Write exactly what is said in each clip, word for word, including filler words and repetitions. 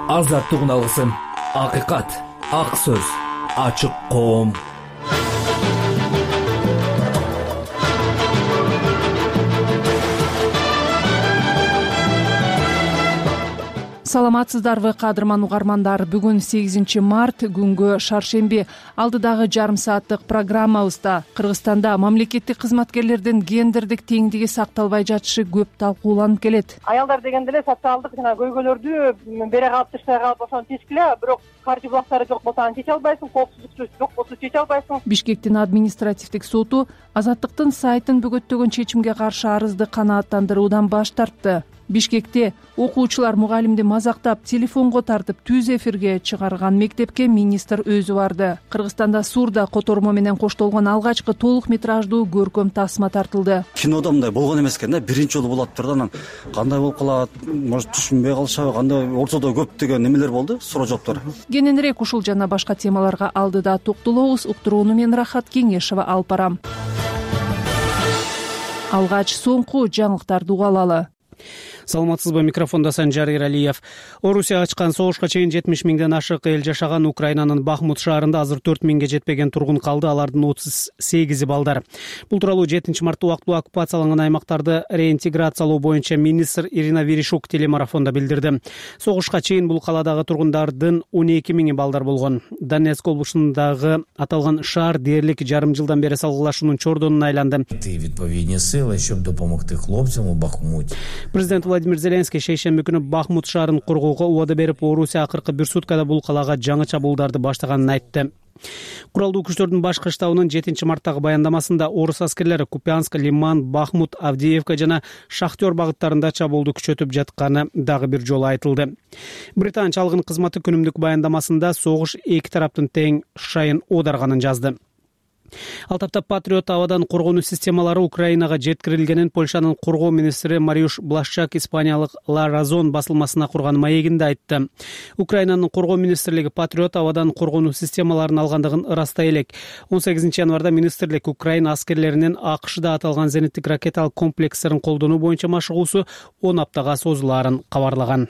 азаттык алгысым, акыйкат, ак сөз, ачык коом. Саламатсыздарбы, кадырман угармандар. Бүгүн сегизинчи март, күнгө шаршемби. Алдыдагы жарым сааттык программабызда Кыргызстанда мамлекеттик кызматкерлердин гендердик теңдиги сакталбай жатышы көп талкууланып келет. Аялдар дегенде эле социалдык жана көйгөйлөрдү бере калып тыштай калып ошону чечкиле, бирок каржы булактары жок болсо аны чече албайсың, коопсуздук жок болсо чече албайсың. Бишкектин административдик соту Азаттыктын сайтын бөгөттөгөн чечимге каршы арызды канааттандыруудан баш тартты. Бишкекте окуучулар мугалимди мазактап, телефонго тартып, түз эфирге чыгарган мектепке министр өзү барды. Кыргызстанда Сурда котормо менен коштолгон алгачкы толук метраждуу көркөм тасма тартылды. Кинода мындай болгон эмес экен да, биринчи жолу болот турду. Анан кандай болуп калат, может түшүнбөй калышабы, кандай ортодо көптөгөн немелер болду, суроо жооптор. Кененирээк ушул жана башка темаларга алдыда токтолобуз. Уктурууну мен Рахат Кеңешева алып барам. Алгач соңку жаңылыктарды угалалы. Саламатсызбы, микрофондо Санжар Иралиев. Орусия ачкан согушка чейин жетимиш миңден ашык эл жашаган Украинанын Бахмут шаарында азыр төрт миңге жетпеген тургун калды, алардын отуз сегизи балдар. Бул тууралуу жетинчи мартта убактылуу оккупацияланган аймактарды реинтеграциялоо боюнча министр Ирина Верещук телемарафондо билдирди. Согушка чейин бул каладагы тургундардын он эки миңи балдар болгон. Донецк облусундагы аталган шаар дээрлик жарым жылдан бери салгылашуунун чордонуна айланды. Відповідні сили, щоб допомогти хлопцям у Бахмуті. Президент Владимир Зеленский шейшемби күнү Бахмут шаарын коргоого убада берип, Орусия акыркы бир суткада бул калага жаңы чабуулдарды баштаганын айтты. Куралдуу күчтөрдүн башкы штабынын жетинчи марттагы баяндамасында орус аскерлери Купянск, Лиман, Бахмут, Авдеевка жана Шахтер багыттарында чабуулду күчөтүп жатканы дагы бир жолу айтылды. Британ чалгын кызматы күнүмдүк баяндамасында согуш эки тараптын тең шайын оодарганын жазды. Ал тапта Патриот абадан коргонуу системалары Украинага жеткирилгенин Польшанын коргоо министри Мариуш Блашчак Испаниялык Ла Разон басылмасына курган маегинде айтты. Украинанын коргоо министрлиги Патриот абадан коргонуу системаларын алгандыгын ырастай элек. он сегизинчи январда министрлик Украина аскерлеринин АКШда аталган зениттик ракеталык комплекстерин колдонуу боюнча машыгуусу он аптага созулаарын кабарлаган.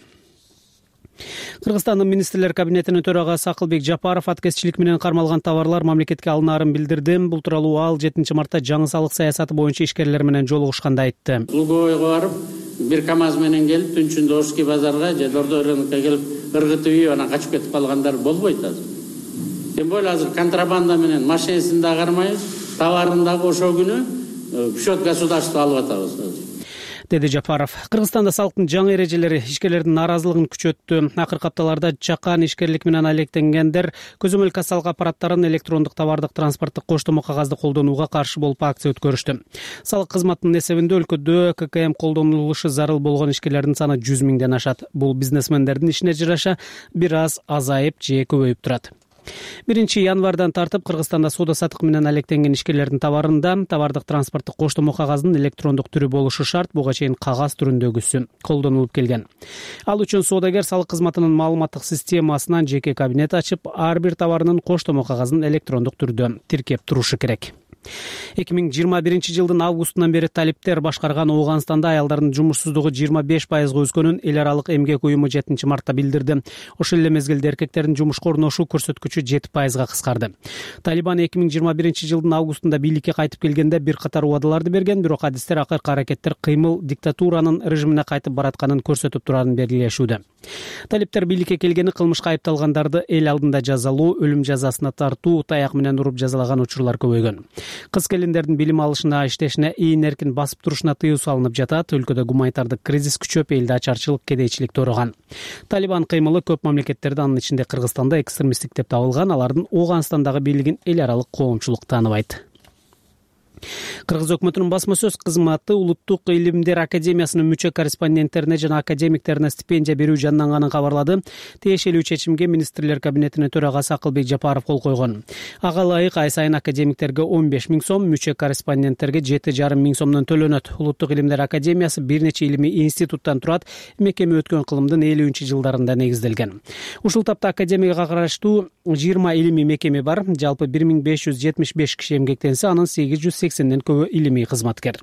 Кыргызстандын министрлер кабинетинин төрагасы Акылбек Жапаров аткезчилик менен кармалган товарлар мамлекетке алынаарын билдирди. Бул тууралуу ал жетинчи мартта жаңы салык саясаты боюнча ишкерлер менен жолугушканда айтты. Луговойго барып, бир КАМАЗ менен келип, түнчүндө Орский базарга же Дордо рынокко келип, ыргытып ийип, анан качып кетип калгандар болбойт азыр. Тем более азыр контрабанда менен машинесин да кармайбыз, товарын дагы ошол күнү в счет государства алып атабыз азыр, деди Жапаров. Кыргызстанда салыктын жаңы эрежелери ишкерлердин нааразылыгын күчөттү. Акыркы апталарда чакан ишкерлик менен алектенгендер көзөмөл кассалык аппараттарын, электрондук товардык транспорттук коштомо кагазды колдонууга каршы болуп акция өткөрүштү. Салык кызматынын эсебинде өлкөдө ККМ колдонулушу зарыл болгон ишкерлердин саны жүз миңден ашат. Бул бизнесмендердин ишине жараша бир аз азайып же көбөйүп турат. биринчи январдан тартып Кыргызстанда соода саттык менен алектенген ишкерлердин товарында товардык транспорттук коштомо кагаздын электрондук түрү болушу шарт. Буга чейин кагаз түрүндөгүсү колдонулуп келген. Ал үчүн соодагер салык кызматынын маалыматтык системасынан жеке кабинет ачып, ар бир товарынын коштомо кагазын электрондук түрдө тиркеп турушу керек. эки миң жыйырма биринчи жылдын августунан бери талиптер башкарган Ооганстанда аялдардын жумушсуздугу жыйырма беш пайызга өскөнүн эл аралык эмгек уюму жетинчи мартта билдирди. Ошол эле мезгилде эркектердин жумушка орношуу көрсөткүчү жети пайызга кыскарды. Талибан эки миң жыйырма биринчи жылдын августунда бийликке кайтып келгенде бир катар убадаларды берген, бирок адистер акыркы аракеттер кыймыл диктатуранын режимине кайтып баратканын көрсөтүп турарын белгилешүүдө. Талиптер бийликке келгени кылмышка айыпталгандарды эл алдында жазалоо, өлүм жазасына тартуу, таяк менен уруп жазалаган учурлар көбөйгөн. Кыз келиндердин билим алышына, иштешине, ийин эркин басып турушуна тыюу салынып жатат. Өлкөдө гуманитардык кризис күчөп, элде ачарчылык, кедейчилик тоорогон. Талибан кыймылы көп мамлекеттерде, анын ичинде Кыргызстанда экстремисттик деп табылган. Алардын Ооганстандагы бийлигин эл аралык коомчулук тааныбайт. Кыргыз өкмөтүнүн басма сөз кызматы Улуттук илимдер академиясынын мүчө корреспонденттерине жана академиктерине стипендия берүү жанданганын кабарлады. Тиешелүү чечимге министрлер кабинетинин төрагасы Акылбек Жапаров кол койгон. Ага ылайык ай сайын академиктерге он беш миң сом, мүчө корреспонденттерге жети жарым миң сомдон төлөнөт. Улуттук илимдер академиясы бир нече илимий институттан турат. Мекеме өткөн кылымдын элүүнчү жылдарында негизделген. Ушул тапта академияга караштуу жыйырма илимий мекеме бар. Жалпы бир миң беш жүз жетимиш беш киши эмгектенсе, анын сегиз жүз сексенден көбү илимий кызматкер.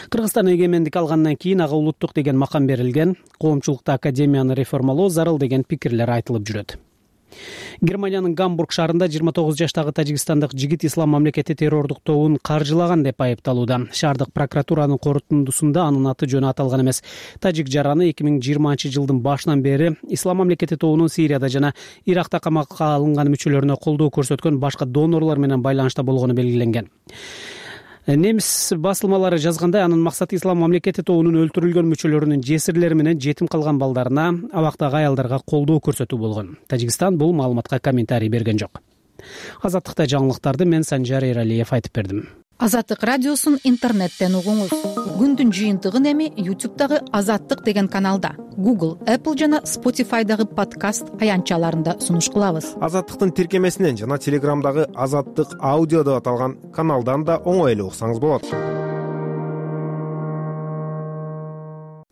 Кыргызстан эгемендик алгандан кийин ага улуттук деген макам берилген, коомчулукта академияны реформалоо зарыл деген пикирлер айтылып жүрөт. Германиянын Гамбург шаарында жыйырма тогуз жаштагы тажикстандык жигит ислам мамлекети террордук тобун каржылаган деп айыпталууда. Шаардык прокуратуранын корутундусунда анын аты жөнү аталган эмес. Тажик жараны эки миң жыйырманчы жылдын башынан бери ислам мамлекети тобунун Сирияда жана Иракта камакка алынган мүчөлөрүнө колдоо көрсөткөн башка донорлор менен байланышта болгону белгиленген. Немис басылмалары жазгандай, анын максаты ислам мамлекети тобунун өлтүрүлгөн мүчөлөрүнүн жесирлери менен жетим калган балдарына, абактагы аялдарга колдоо көрсөтүү болгон. Тажикстан бул маалыматка комментарий берген жок. Азаттыкта жаңылыктарды мен Санжар Эралиев айтып бердим. Азаттык радиосун интернеттен угуңуз. Күндүн жыйынтыгын эми ютубтагы Азаттык деген каналда, Google, Apple жана Spotify'дагы подкаст аянтчаларында сунуш кылабыз. Азаттыктын тиркемесинен жана Телеграмдагы Азаттык аудио деп аталган каналдан да оңой эле уксаңыз болот.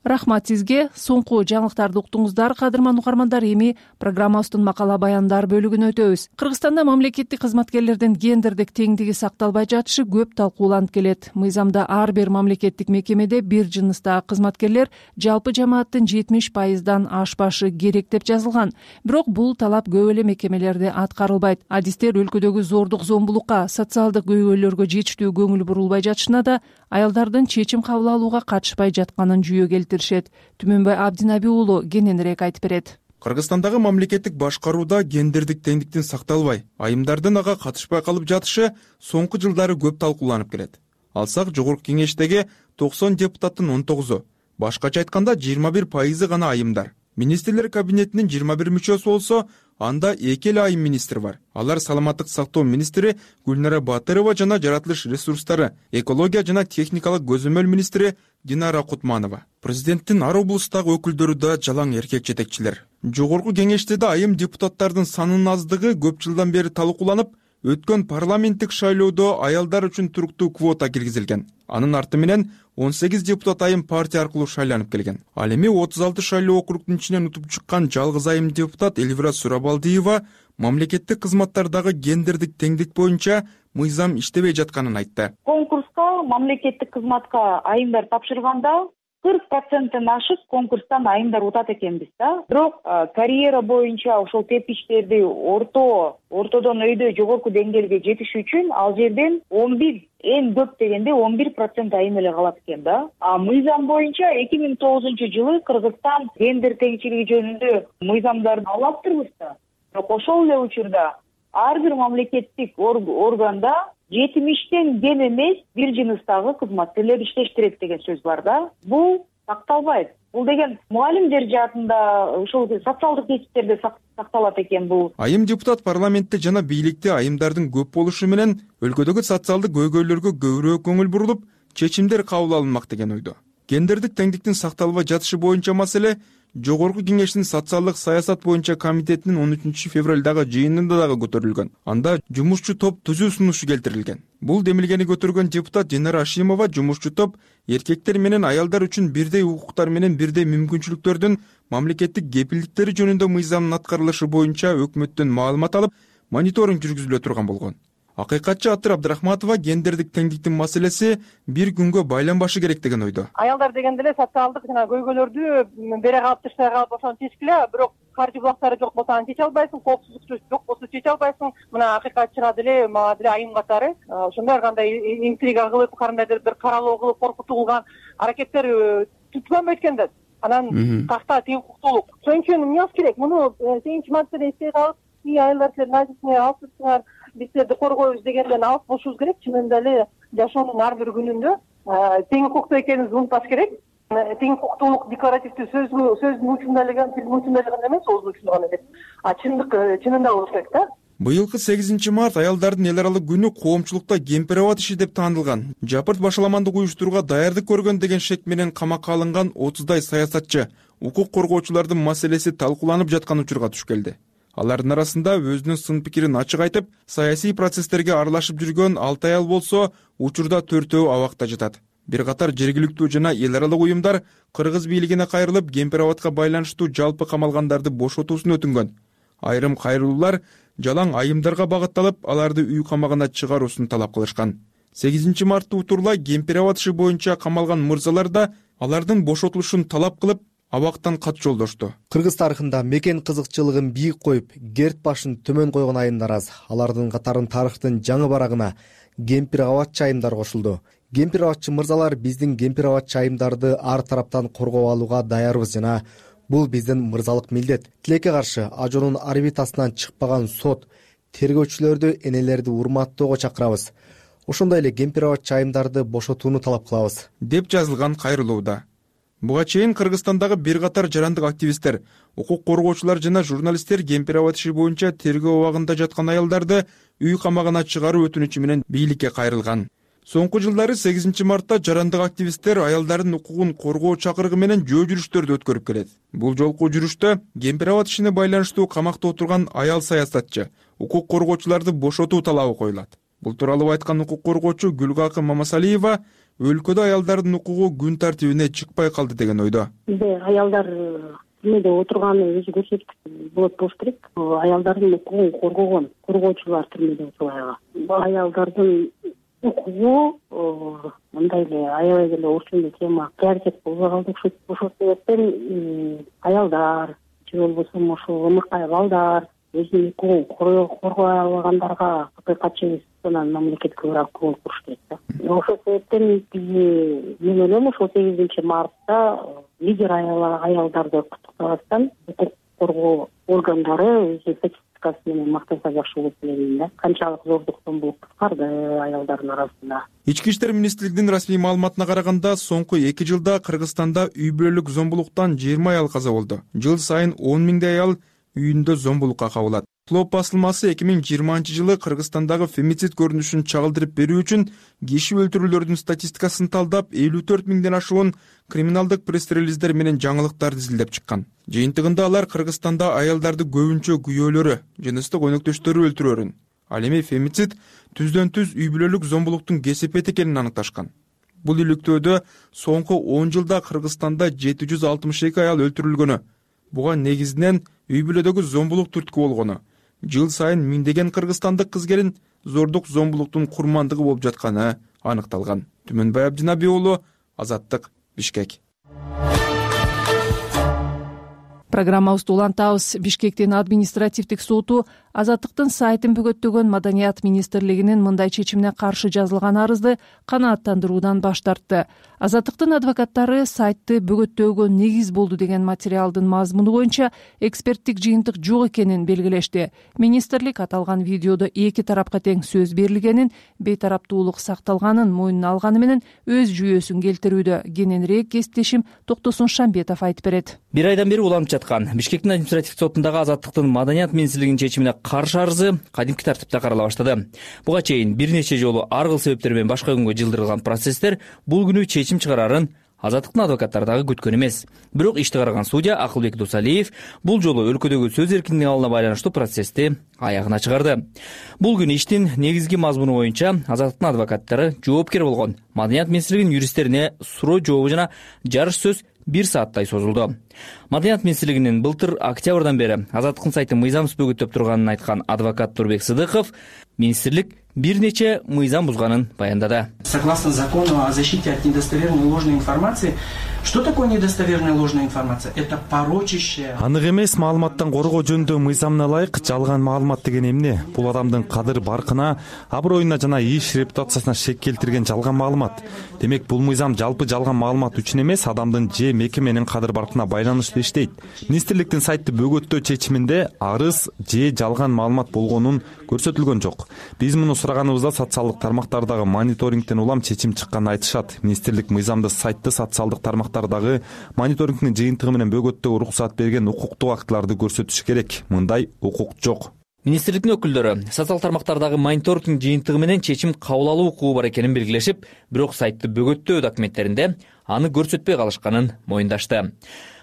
Рахмат сизге. Соңку жаңылыктарды уктуңуздар, кадырман угармандар. Эми программабыздын макала баяндар бөлүгүнө өтөбүз. Кыргызстанда мамлекеттик кызматкерлердин гендердик теңдиги сакталбай жатышы көп талкууланып келет. Мыйзамда ар бир мамлекеттик мекемеде бир жыныстагы кызматкерлер жалпы жамааттын жетимиш пайыздан ашпашы керек деп жазылган. Бирок бул талап көп эле мекемелерде аткарылбайт. Адистер өлкөдөгү зордук зомбулукка, социалдык көйгөйлөргө жетиштүү көңүл бурулбай жатышына да аялдардын чечим кабыл алууга катышпай жатканын жүйө келтиришет. Түмөнбай Абдинаби уулу кененирээк айтып берет. Кыргызстандагы мамлекеттик башкарууда гендердик теңдиктин сакталбай, айымдардын ага катышпай калып жатышы соңку жылдары көп талкууланып келет. Алсак, жогорку кеңештеги токсон депутаттын он тогузу, башкача айтканда жыйырма бир пайызы гана айымдар. Министрлер кабинетинин жыйырма бир мүчөсү болсо, анда эки эле айым министр бар. Алар саламаттык сактоо министри Гүлнара Батырова жана жаратылыш ресурстары, экология жана техникалык көзөмөл министри Динара Кутманова. Президенттин ар облустагы өкүлдөрү да жалаң эркек жетекчилер. Жогорку кеңеште да айым депутаттардын санынын аздыгы көп жылдан бери талкууланып, өткөн парламенттик шайлоодо аялдар үчүн туруктуу квота киргизилген. Анын арты менен он сегиз депутат айым партия аркылуу шайланып келген. Ал эми отуз алты шайлоо округдун ичинен утуп чыккан жалгыз айым депутат Эльвира Сурабалдиева мамлекеттик кызматтардагы гендердик теңдик боюнча мыйзам иштебей жатканын айтты. Конкурска мамлекеттик кызматка айымдар тапшырганда кырк проценттен ашык конкурстан айымдар утат экенбиз да. Бирок карьера боюнча ошол тепкичтерди орто, ортодон өйдө жогорку деңгээлге жетиш үчүн ал жерден он бир, эң көп дегенде он бир процент айым эле калат экен да. А мыйзам боюнча эки миң тогузунчу жылы Кыргызстан гендер теңчилиги жөнүндө мыйзамдарды алаптырбыз да. Бирок ошол эле учурда ар бир мамлекеттик органда жетимиштен кем эмес бир жыныстагы кызматкерлер иштеш керек деген сөз бар да. Бул сакталбайт. Бул деген мугалимдер жаатында, ошол социалдык кесиптерде сакталат экен бул. Айым депутат парламентте жана бийликте айымдардын көп болушу менен өлкөдөгү социалдык көйгөйлөргө көбүрөөк көңүл бурулуп, чечимдер кабыл алынмак деген ойдо. Гендердик теңдиктин сакталбай жатышы боюнча маселе Жогорку кеңештин социалдык саясат боюнча комитетинин он үчүнчү февралдагы жыйынында дагы көтөрүлгөн. Анда жумушчу топ түзүү сунушу келтирилген. Бул демилгени көтөргөн депутат Динара Ашимова жумушчу топ эркектер менен аялдар үчүн бирдей укуктар менен бирдей мүмкүнчүлүктөрдүн мамлекеттик кепилдиктери жөнүндө мыйзамдын аткарылышы боюнча өкмөттөн маалымат алып, мониторинг жүргүзүлө турган болгон. Акыйкатчы Атыр Абдрахматова гендердик теңдиктин маселеси бир күнгө байланбашы керек деген ойдо. Аялдар дегенде эле социалдык жана көйгөйлөрдү бере калып тыштай калып ошону чечкиле, бирок каржы булактары жок болсо аны чече албайсың, коопсуздук жок болсо чече албайсың. Мына акыйкатчыга деле, мага деле айым катары ошондой кандай интрига кылып, кандайдыр бир каралоо кылып, коркутуу кылган аракеттер түткөнбөйт экен да. Анан такта тең укуктуулук. Ошон үчүн эмне керек? Муну сегизинчи мартта эстей калып, аялдар силер назисине алыпсыздар, биз силерди коргойбуз дегенден алып болушубуз керек. Чынында эле жашоонун ар бир күнүндө тең укуктуу экенибизди унутпаш керек. Тең укуктуулук декларативдүү сөзгө сөздүн учунда эле, тилдин учунда эле гана эмес, оозун учунда гана эмес. А чындык чынында болуш керек да. Быйылкы сегизинчи март аялдардын эл аралык күнү коомчулукта кемпир абад иши деп таанылган. Жапырт башаламандык уюштурууга даярдык көргөн деген шек менен камакка алынган отуздай саясатчы, укук коргоочулардын маселеси талкууланып жаткан учурга туш келди. Алардын арасында өзүнүн сын пикирин ачык айтып, саясий процесстерге аралашып жүргөн алты аял болсо, учурда төртөө абакта жатат. Бир катар жергиликтүү жана эл аралык уюмдар кыргыз бийлигине кайрылып, кемпир абадка байланыштуу жалпы камалгандарды бошотуусун өтүнгөн. Айрым кайрылуулар жалаң айымдарга багытталып, аларды үй камагына чыгаруусун талап кылышкан. сегизинчи мартта утурлай Кемпир-Абад иши боюнча камалган мырзалар да алардын бошотулушун талап кылып, абактан кат жолдошту. Кыргыз тарыхында мекен кызыкчылыгын бийик коюп, керт башын төмөн койгон айымдар аз. Алардын катарын тарыхтын жаңы барагына Кемпир-Абадчы айымдар кошулду. Кемпир-Абадчы мырзалар биздин Кемпир-Абадчы айымдарды ар тараптан коргоп алууга даярбыз жана бул биздин мырзалык милдет. Тилекке каршы ажоонун орбитасынан чыкпаган сот тергөөчүлөрдү, энелерди урматтоого чакырабыз. Ошондой эле Кемпир-Абадчы айымдарды бошотууну талап кылабыз, деп жазылган кайрылууда. Буга чейин Кыргызстандагы бир катар жарандык активисттер, укук коргоочулар жана журналисттер Кемпир-Абад иши боюнча тергөө абагында жаткан аялдарды үй камагына чыгаруу өтүнүчү менен бийликке кайрылган. Соңку жылдары сегизинчи мартта жарандык активисттер аялдардын укугун коргоо чакырыгы менен жөө жүрүштөрдү өткөрүп келет. Бул жолку жүрүштө Кемпир-Абад ишине байланыштуу камакта отурган аял саясатчы, укук коргоочуларды бошотуу талабы коюлат. Бул тууралуу айткан укук коргоочу Гүлгакы Мамасалиева өлкөдө аялдардын укугу күн тартибине чыкпай калды деген ойдо. Бизде аялдар түрмөдө отурганы өзү көрсөткүч болот болуш керек. Аялдардын укугун коргогон коргоочулар түрмөдө отурган. Аялдардын укугу мындай эле аябай эле орчундуу тема приоритет болбой калды окшойт. Ошол себептен аялдар же болбосо ошол ымыкай балдар өзүнүн укугун коргой албагандарга акыйкатчы анан мамлекетке бирок көңүл буруш керек да. Ошол себептен биз мен ойлойм ошол сегизинчи мартта лидер аялдарды куттуктабастан укук коргоо органдары өзү статистикасы менен мактанса жакшы болот деп ойлойм да. Канчалык зордук зомбулук кыскарды аялдардын арасында. Ички иштер министрлигинин расмий маалыматына караганда, соңку эки жылда Кыргызстанда үй бүлөлүк зомбулуктан жыйырма аял каза болду. Жыл сайын он миңдей аял үйүндө зомбулукка кабылат. Клоп басылмасы эки миң жыйырманчы жылы Кыргызстандагы фемицид көрүнүшүн чагылдырып берүү үчүн киши өлтүрүүлөрдүн статистикасын талдап элүү төрт миңден ашуун криминалдык пресс-релиздер менен жаңылыктарды изилдеп чыккан. Жыйынтыгында алар Кыргызстанда аялдарды көбүнчө күйөөлөрү, жыныстык өнөктөштөрү өлтүрөөрүн, ал эми фемицид түздөн түз үй бүлөлүк зомбулуктун кесепети экенин аныкташкан. Бул иликтөөдө соңку он жылда Кыргызстанда жети жүз алтымыш эки аял өлтүрүлгөнү, буга негизинен үй бүлөдөгү зомбулук түрткү болгону, жыл сайын миңдеген кыргызстандык кыз келин зордук зомбулуктун курмандыгы болуп жатканы аныкталган. Түмөнбай Абдинаби уулу, Азаттык, Бишкек. Программабызды улантабыз. Бишкектин административдик соту Азаттыктын сайтын бөгөттөгөн Маданият министрлигинин мындай чечимине каршы жазылган арызды канааттандыруудан баш тартты. Азаттыктын адвокаттары сайтты бөгөттөөгө негиз болду деген материалдын мазмуну боюнча эксперттик жыйынтык жок экенин белгилешти. Министрлик аталган видеодо эки тарапка тең сөз берилгенин, бейтараптуулук сакталганын мойнуна алганы менен өз жүйөсүн келтирүүдө. Кененирээк кесиптешим Токтосун Шамбетов айтып берет. Бир айдан бери уланып жаткан Бишкектин административдик сотундагы Азаттыктын Маданият министрлигинин чечимине каршы арызы кадимки тартипте карала баштады. Буга чейин бир нече жолу ар кыл себептер менен башка күнгө жылдырылган процесстер бул күнү чечим чыгарарын Азаттыктын адвокаттары дагы күткөн эмес. Бирок ишти караган судья Акылбек Досалиев бул жолу өлкөдөгү сөз эркиндигине алына байланыштуу процессти аягына чыгарды. Бул күнү иштин негизги мазмуну боюнча Азаттыктын адвокаттары жоопкер болгон Маданият министрлигинин юристтерине суроо жообу жана жарыш сөз бир сааттай созулду. Маданият министрлигинин былтыр октябрдан бери Азаттыктын сайтын мыйзамсыз бөгөттөп турганын айткан адвокат Турбек Сыдыков министрлик бир нече мыйзам бузганын баяндады. Согласно закону о защите от недостоверной ложной информации, что такое недостоверная ложная информация? Это порочащая. Анык эмес маалыматтан коргоо жөнүндө мыйзамына ылайык жалган маалымат деген эмне? Бул адамдын кадыр баркына, аброюна жана иш репутациясына шек келтирген жалган маалымат. Демек бул мыйзам жалпы жалган маалымат үчүн эмес, адамдын же мекеменин кадыр баркына байланыштуу иштейт. Министрликтин сайтты бөгөттөө чечиминде арыз же жалган маалымат болгонун көрсөтүлгөн жок. Биз муну сураганыбызда социалдык тармактардагы мониторингден улам чечим чыкканын айтышат. Министрлик мыйзамды сайтты социалдык тармактардагы мониторингдин жыйынтыгы менен бөгөттөөгө уруксат берген укуктук актыларды көрсөтүшү керек. Мындай укук жок. Министрликтин өкүлдөрү социалдык тармактардагы мониторингдин жыйынтыгы менен чечим кабыл алуу укугу бар экенин белгилешип, бирок сайтты бөгөттөө документтеринде аны көрсөтпөй калышканын моюндашты.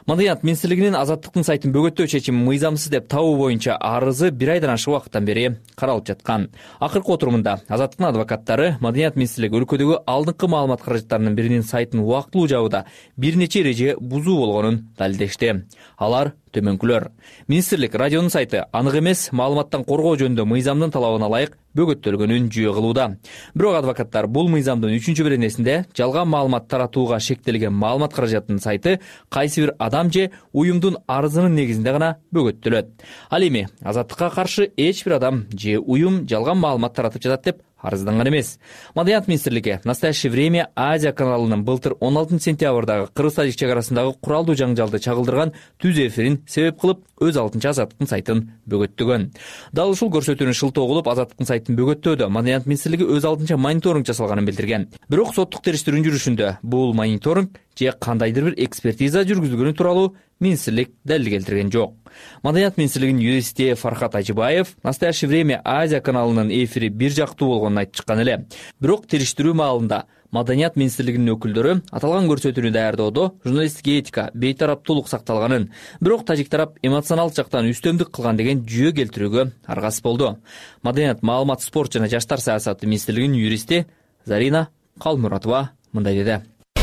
Маданият министрлигинин Азаттыктын сайтын бөгөттөө чечими мыйзамсыз деп табуу боюнча арызы бир айдан ашык убакыттан бери каралып жаткан. Акыркы отурумунда Азаттыктын адвокаттары Маданият министрлиги өлкөдөгү алдыңкы маалымат каражаттарынын биринин сайтын убактылуу жабууда бир нече эреже бузуу болгонун далилдешти. Алар төмөнкүлөр. Министрлик радионун сайты анык эмес маалыматтан коргоо жөнүндө мыйзамдын талабына ылайык бөгөттөлгөнүн жүйө кылууда. Бирок адвокаттар бул мыйзамдын үчүнчү беренесинде жалган маалымат таратууга шектелген маалымат каражатынын сайты кайсы бир адам же уюмдун арызынын негизинде гана бөгөттөлөт. Ал эми Азаттыкка каршы эч бир адам же уюм жалган маалымат таратып жатат деп арызданган эмес. Маданият министрлиги «Настоящее время» Азия каналынын былтыр он алтынчы сентябрдагы Кыргыз-Тажик чек арасындагы куралдуу жаңжалды чагылдырган түз эфирин себеп кылып өз алдынча Азаттыктын сайтын бөгөттөгөн. Дал ушул көрсөтүүнү шылтоо кылып Азаттыктын сайтын бөгөттөөдө Маданият министрлиги өз алдынча мониторинг жасалганын билдирген. Бирок соттук териштирүүнүн жүрүшүндө бул мониторинг же кандайдыр бир экспертиза жүргүзүлгөнү тууралуу министрлик далил келтирген жок. Маданият министрлигинин юристи Фархат Ажибаев «Настоящее время» Азия каналынын эфири бир жактуу болгонун айтып чыккан эле. Бирок териштирүү маалында Маданият министрлигинин өкүлдөрү аталган көрсөтүүнү даярдоодо журналисттик этика, бейтараптуулук сакталганын, бирок тажик тарап эмоционалдык жактан үстөмдүк кылган деген жүйө келтирүүгө аргасыз болду. Маданият, маалымат, спорт жана жаштар саясаты министрлигинин юристи Зарина Калмуратова мындай деди.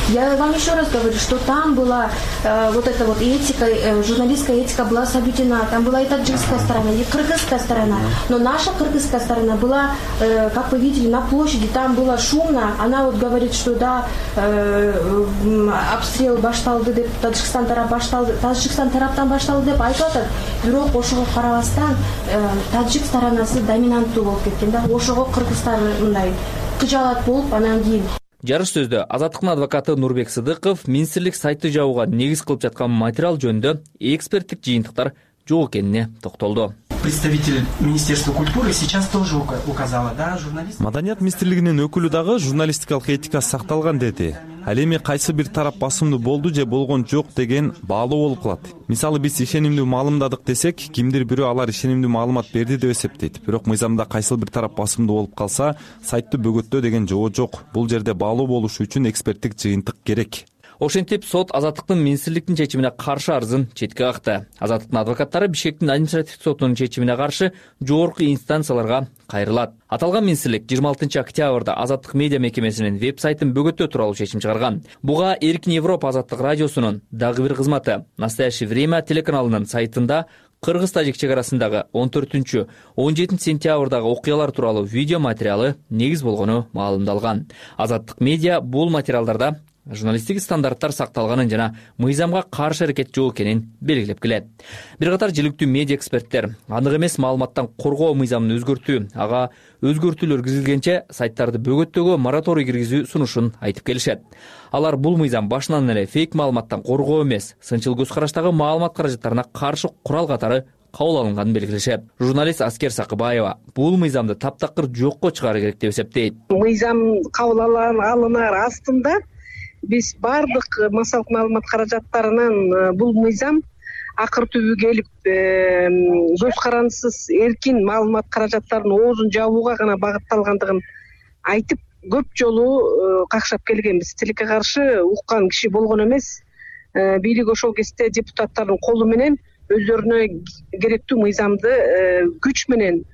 Я вам еще раз говорю, что там была э, вот эта вот этика, э, журналистская этика была соблюдена. Там была и таджикская сторона, и кыргызская сторона. Но наша кыргызская сторона была, э, как вы видели, на площади. Там было шумно. Она вот говорит, что да, э, обстрел башталды деп, Таджикстан тарап башталды, Таджикстан тараптан башталды деп айтып атат. Бирок ошого карабастан э, таджик сторонасы доминанттуу болуп кеткен да. Ошого кыргыздар мындай кыжаалат болуп анан кийин. Жарыш сөздө Азаттыктын адвокаты Нурбек Сыдыков министрлик сайты жабууга негиз кылып жаткан материал жөнүндө эксперттик жыйынтыктар жок экенине токтолду. Представитель Министерства культуры сейчас тоже указала, да, журналист. Маданият министрлигинин өкүлү дагы журналистикалык этика сакталган деди. Ал эми кайсы бир тарап басымдуу болду же болгон жок деген баалуу болуп калат. Мисалы биз ишенимдүү маалымдадык десек, кимдир бирөө алар ишенимдүү маалымат берди деп эсептейт. Бирок мыйзамда кайсы бир тарап басымдуу болуп калса, сайтты бөгөттөө деген жоо жок. Бул жерде баалуу болуш үчүн эксперттик жыйынтык керек. Ошентип сот Азаттыктын министрликтин чечимине каршы арызын четке какты. Азаттыктын адвокаттары Бишкектин административдик сотунун чечимине каршы жогорку инстанцияларга кайрылат. Аталган министрлик жыйырма алтынчы октябрда Азаттык медиа мекемесинин веб-сайтын бөгөттөө тууралуу чечим чыгарган. Буга Эркин Европа Азаттык радиосунун дагы бир кызматы «Настоящее время» телеканалынын сайтында Кыргыз-Тажик чек арасындагы он төртүнчү он жетинчи сентябрдагы окуялар тууралуу видео материалы негиз болгону маалымдалган. Азаттык медиа бул материалдарда журналисттик стандарттар сакталганын жана мыйзамга каршы аракет жок экенин белгилеп келет. Бир катар жиликтүү медиа эксперттер анык эмес маалыматтан коргоо мыйзамын өзгөртүү, ага өзгөртүүлөр киргизилгенче сайттарды бөгөттөөгө мораторий киргизүү сунушун айтып келишет. Алар бул мыйзам башынан эле фейк маалыматтан коргоо эмес, сынчыл көз караштагы маалымат каражаттарына каршы курал катары кабыл алынганын белгилешет. Журналист Аскер Сакыбаева бул мыйзамды таптакыр жокко чыгаруу керек деп эсептейт. Мыйзам кабыл алынар астында биз бардык массалык маалымат каражаттарынын бул мыйзам акыр түбү келип көз карандысыз эркин маалымат каражаттарынын оозун жабууга гана багытталгандыгын айтып көп жолу какшап келгенбиз. Тилекке каршы уккан киши болгон эмес. Бийлик ошол кезде депутаттардын колу менен өздөрүнө керектүү мыйзамды күч менен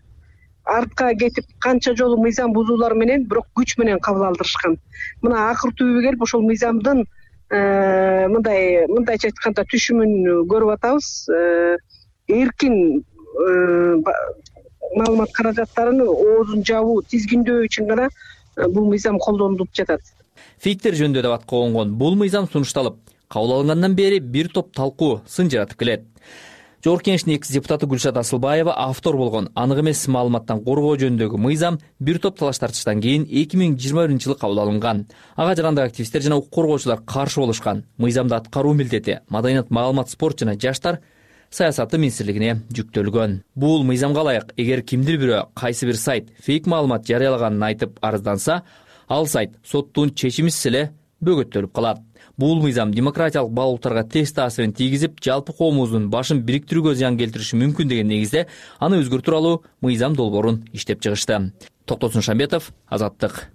артка кетип канча жолу мыйзам бузуулар менен бирок күч менен кабыл алдырышкан. Мына акыр түбү келип ошол мыйзамдын мындай мындайча айтканда түшүмүн көрүп атабыз. Эркин маалымат каражаттарын оозун жабуу, тизгиндөө үчүн гана бул мыйзам колдонулуп жатат. Фейктер жөнүндө деп атка конгон бул мыйзам сунушталып, кабыл алынгандан бери бир топ талкуу, сын жаратып келет. Жогорку Кеңештин экс депутаты Гүлшат Асылбаева автор болгон анык эмес маалыматтан коргоо жөнүндөгү мыйзам бир топ талаш тартыштан кийин эки миң жыйырма биринчи жылы кабыл алынган. Ага жарандык активисттер жана укук коргоочулар каршы болушкан. Мыйзамды аткаруу милдети Маданият, маалымат, спорт жана жаштар саясаты министрлигине жүктөлгөн. Бул мыйзамга ылайык, эгер кимдир бирөө кайсы бир сайт фейк маалымат жарыялаганын айтып арызданса, ал сайт соттун чечимисиз эле бөгөттөлүп калат. Бул мыйзам демократиялык баалуулуктарга терс таасирин тийгизип, жалпы коомубуздун башын бириктирүүгө зыян келтириши мүмкүн деген негизде аны өзгөртүү тууралуу мыйзам долбоорун иштеп чыгышты. Токтосун Шамбетов, Азаттык.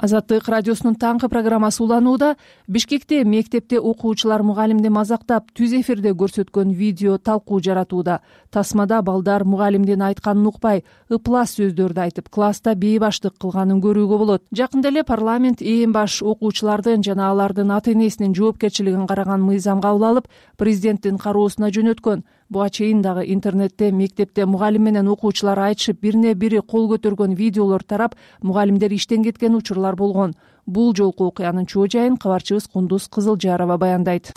Азаттык радиосунун таңкы программасы уланууда. Бишкекте мектепте окуучулар мугалимди мазактап түз эфирде көрсөткөн видео талкуу жаратууда. Тасмада балдар мугалимдин айтканын укпай, ыплас сөздөрдү айтып, класста бейбаштык кылганын көрүүгө болот. Жакында эле парламент эң баш окуучулардын жана алардын ата энесинин жоопкерчилигин караган мыйзам кабыл алып, президенттин кароосуна жөнөткөн. Буга чейин дагы интернетте мектепте мугалим менен окуучулар айтышып бирине бири кол көтөргөн видеолор тарап, мугалимдер иштен кеткен учурлар болгон. Бул жолку окуянын чоо жайын кабарчыбыз Кундуз Кызылжарова баяндайт.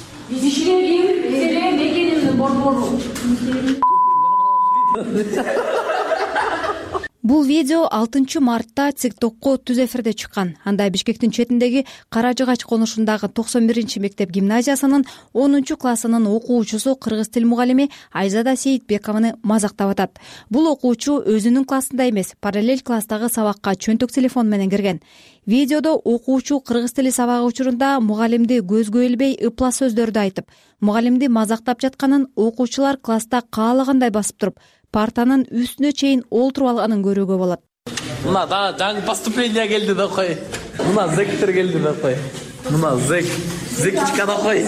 Бул видео алтынчы мартта ТикТокко түз эфирде чыккан. Анда Бишкектин четиндеги Кара Жыгач конушундагы токсон биринчи мектеп гимназиясынын онунчу классынын окуучусу кыргыз тил мугалими Айзада Сейитбекованы мазактап атат. Бул окуучу өзүнүн классында эмес, параллель класстагы сабакка чөнтөк телефон менен кирген. Видеодо окуучу кыргыз тили сабагы учурунда мугалимди көзгө илбей ыпла сөздөрдү айтып, мугалимди мазактап жатканын окуучулар класста каалагандай басып туруп, партанын үстүнө чейин олтуруп алганын көрүүгө болот. Мына да жаңы поступление келди да кой. Мына зектер келди да кой. Мына зек, зекичка да кой.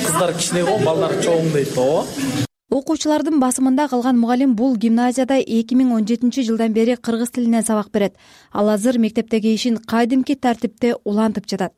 Кыздар кичине го, балдар чоң дейт го. Окуучулардын басымында калган мугалим бул гимназияда эки миң он жетинчи жылдан бери кыргыз тилинен сабак берет. Ал азыр мектептеги ишин кайдимки тартипте улантып жатат.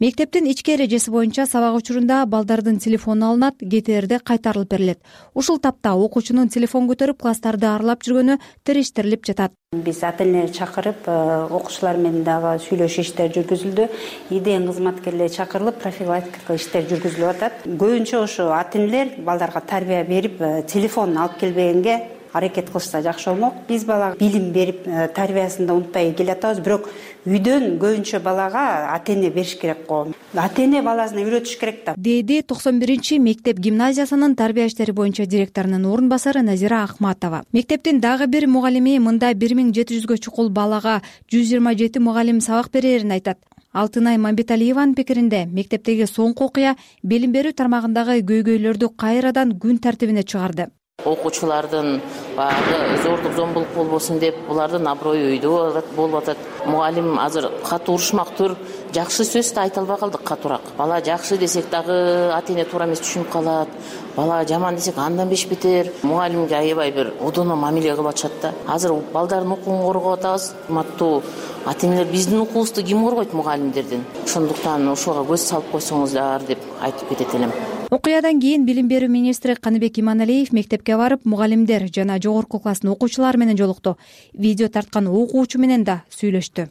Мектептин ички эрежеси боюнча сабак учурунда балдардын телефону алынат, кетээрде кайтарылып берилет. Ушул тапта окуучунун телефон көтөрүп класстарды аралап жүргөнү териштирилип жатат. Биз ата-энени чакырып, окуучулар менен дагы сүйлөшүү иштери жүргүзүлдү. ИДН кызматкерлери чакырылып, профилактика иштери жүргүзүлүп атат. Көбүнчө ошо ата-энелер балдарга тарбия берип, телефон алып келбегенге аракет кылышса жакшы болмок. Биз балага билим берип, тарбиясында унутпай келатабыз, бирок үйдөн көбүнчө балага ата-эне бериш керек го. Ата-эне баласына үйрөтүш керек да. Деди токсон биринчи мектеп гимназиясынын тарбия иштери боюнча директорунун орун басары Назира Ахматова. Мектептин дагы бир мугалими мында бир миң жети жүзгө чукул балага жүз жыйырма жети мугалим сабак берерин айтат. Алтынай Мамбеталиеванын пикиринде, мектептеги соңку окуя билим берүү тармагындагы көйгөйлөрдү кайрадан күн тартибине чыгарды. Окуучулардын баягы зордук зомбулук болбосун деп, булардын аброю үйдө болуп атат. Мугалим азыр катуу урушмактыр, жакшы сөз да айта албай калдык катуураак. Бала жакшы десек дагы ата-эне туура эмес түшүнүп калат. Бала жаман десек андан беш бетер. Мугалимге аябай бир одоно мамиле кылып атышат да. Азыр балдардын укугун коргоп атабыз. Урматтуу ата-энелер, биздин укуубузду ким коргойт мугалимдердин? Ошондуктан ошого көз салып койсоңуздар деп айтып кетет элем. Окуядан кийин билим берүү министри Каныбек Иманалиев мектепке барып, мугалимдер жана жогорку класстын окуучулары менен жолукту. Видео тарткан окуучу менен да сүйлөштү.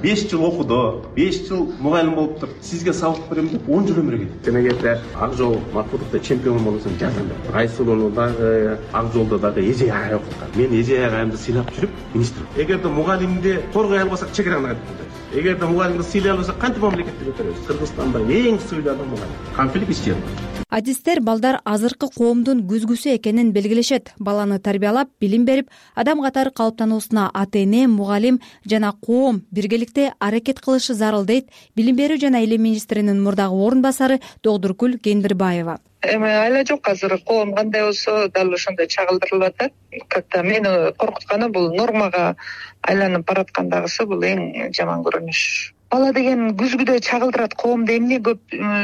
беш жыл окуду, беш жыл мугалим болуптур. Сизге сабак берем деп он жыл өмүр кетти. Демегенде ак жол матбугатта чемпион болсом жазам деп. Айсулууну дагы ак жолдо дагы эже агай окуткан. Мен эже агайымды сыйлап жүрүп, министр. Эгерде мугалимди коргой албасак чекераны айтып коет. Эгерде мугалимди сыйлай албасак кантип мамлекетти көтөрөбүз? Кыргызстанда эң сыйлуу мугалим. Конфликт ичет. Адистер балдар азыркы коомдун күзгүсү экенин белгилешет. Баланы тарбиялап, билим берип, адам катары калыптануусуна ата-эне, мугалим жана коом биргеликте аракет кылышы зарыл дейт билим берүү жана илим министринин мурдагы орун басары Догдуркүл Кендирбаева. Эми айла жок, азыр коом кандай болсо дал ошондой чагылдырылып атат. Как-то мени коркутканы бул нормага айланып бараткандагысы бул эң жаман көрүнүш. Бала деген күзгүдө чагылдырат, коомдо эмне көп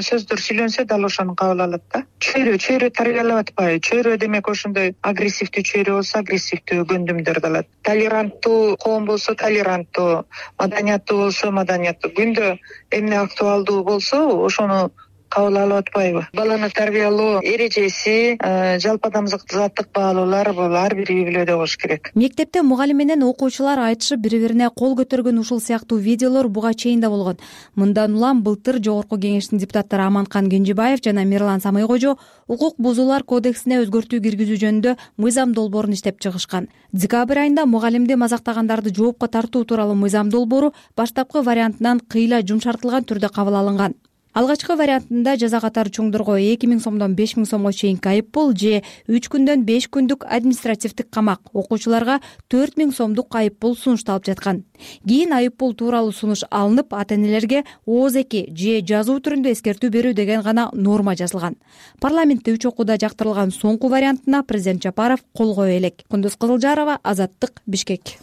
сөздөр сүйлөнсө дал ошону кабыл алат да. Чөйрө, чөйрө тарбиялап атпайбы? Чөйрө демек ошондой агрессивдүү чөйрө болсо агрессивдүү көндүмдөрдү алат. Толеранттуу коом болсо толеранттуу, маданияттуу болсо маданияттуу. Күндө эмне актуалдуу болсо ошону кабыл алып атпайбы? Баланы тарбиялоо эрежеси, жалпы адамзаттык баалуулар бул ар бир үй бүлөдө болуш керек. Мектепте мугалим менен окуучулар айтышып бири-бирине кол көтөргөн ушул сыяктуу видеолор буга чейин да болгон. Мындан улам былтыр Жогорку Кеңештин депутаттары Аманкан Кенжебаев жана Мирлан Самыйкожо укук бузуулар кодексине өзгөртүү киргизүү жөнүндө мыйзам долбоорун иштеп чыгышкан. Декабрь айында мугалимди мазактагандарды жоопко тартуу тууралуу мыйзам долбоору баштапкы вариантынан кыйла жумшартылган түрдө кабыл алынган. Алгачкы вариантында жаза катары чоңдорго эки миң сомдон беш миң сомго чейинки айыппул же үч күндөн беш күндүк административдик камак, окуучуларга төрт миң сомдук айыппул сунушталып жаткан. Кийин айыппул тууралуу сунуш алынып, ата-энелерге ооз-эки же жазуу түрүндө эскертүү берүү деген гана норма жазылган. Парламентте үч окууда жактырылган соңку вариантына президент Жапаров кол кое элек. Кундуз Кызылжарова, Азаттык, Бишкек.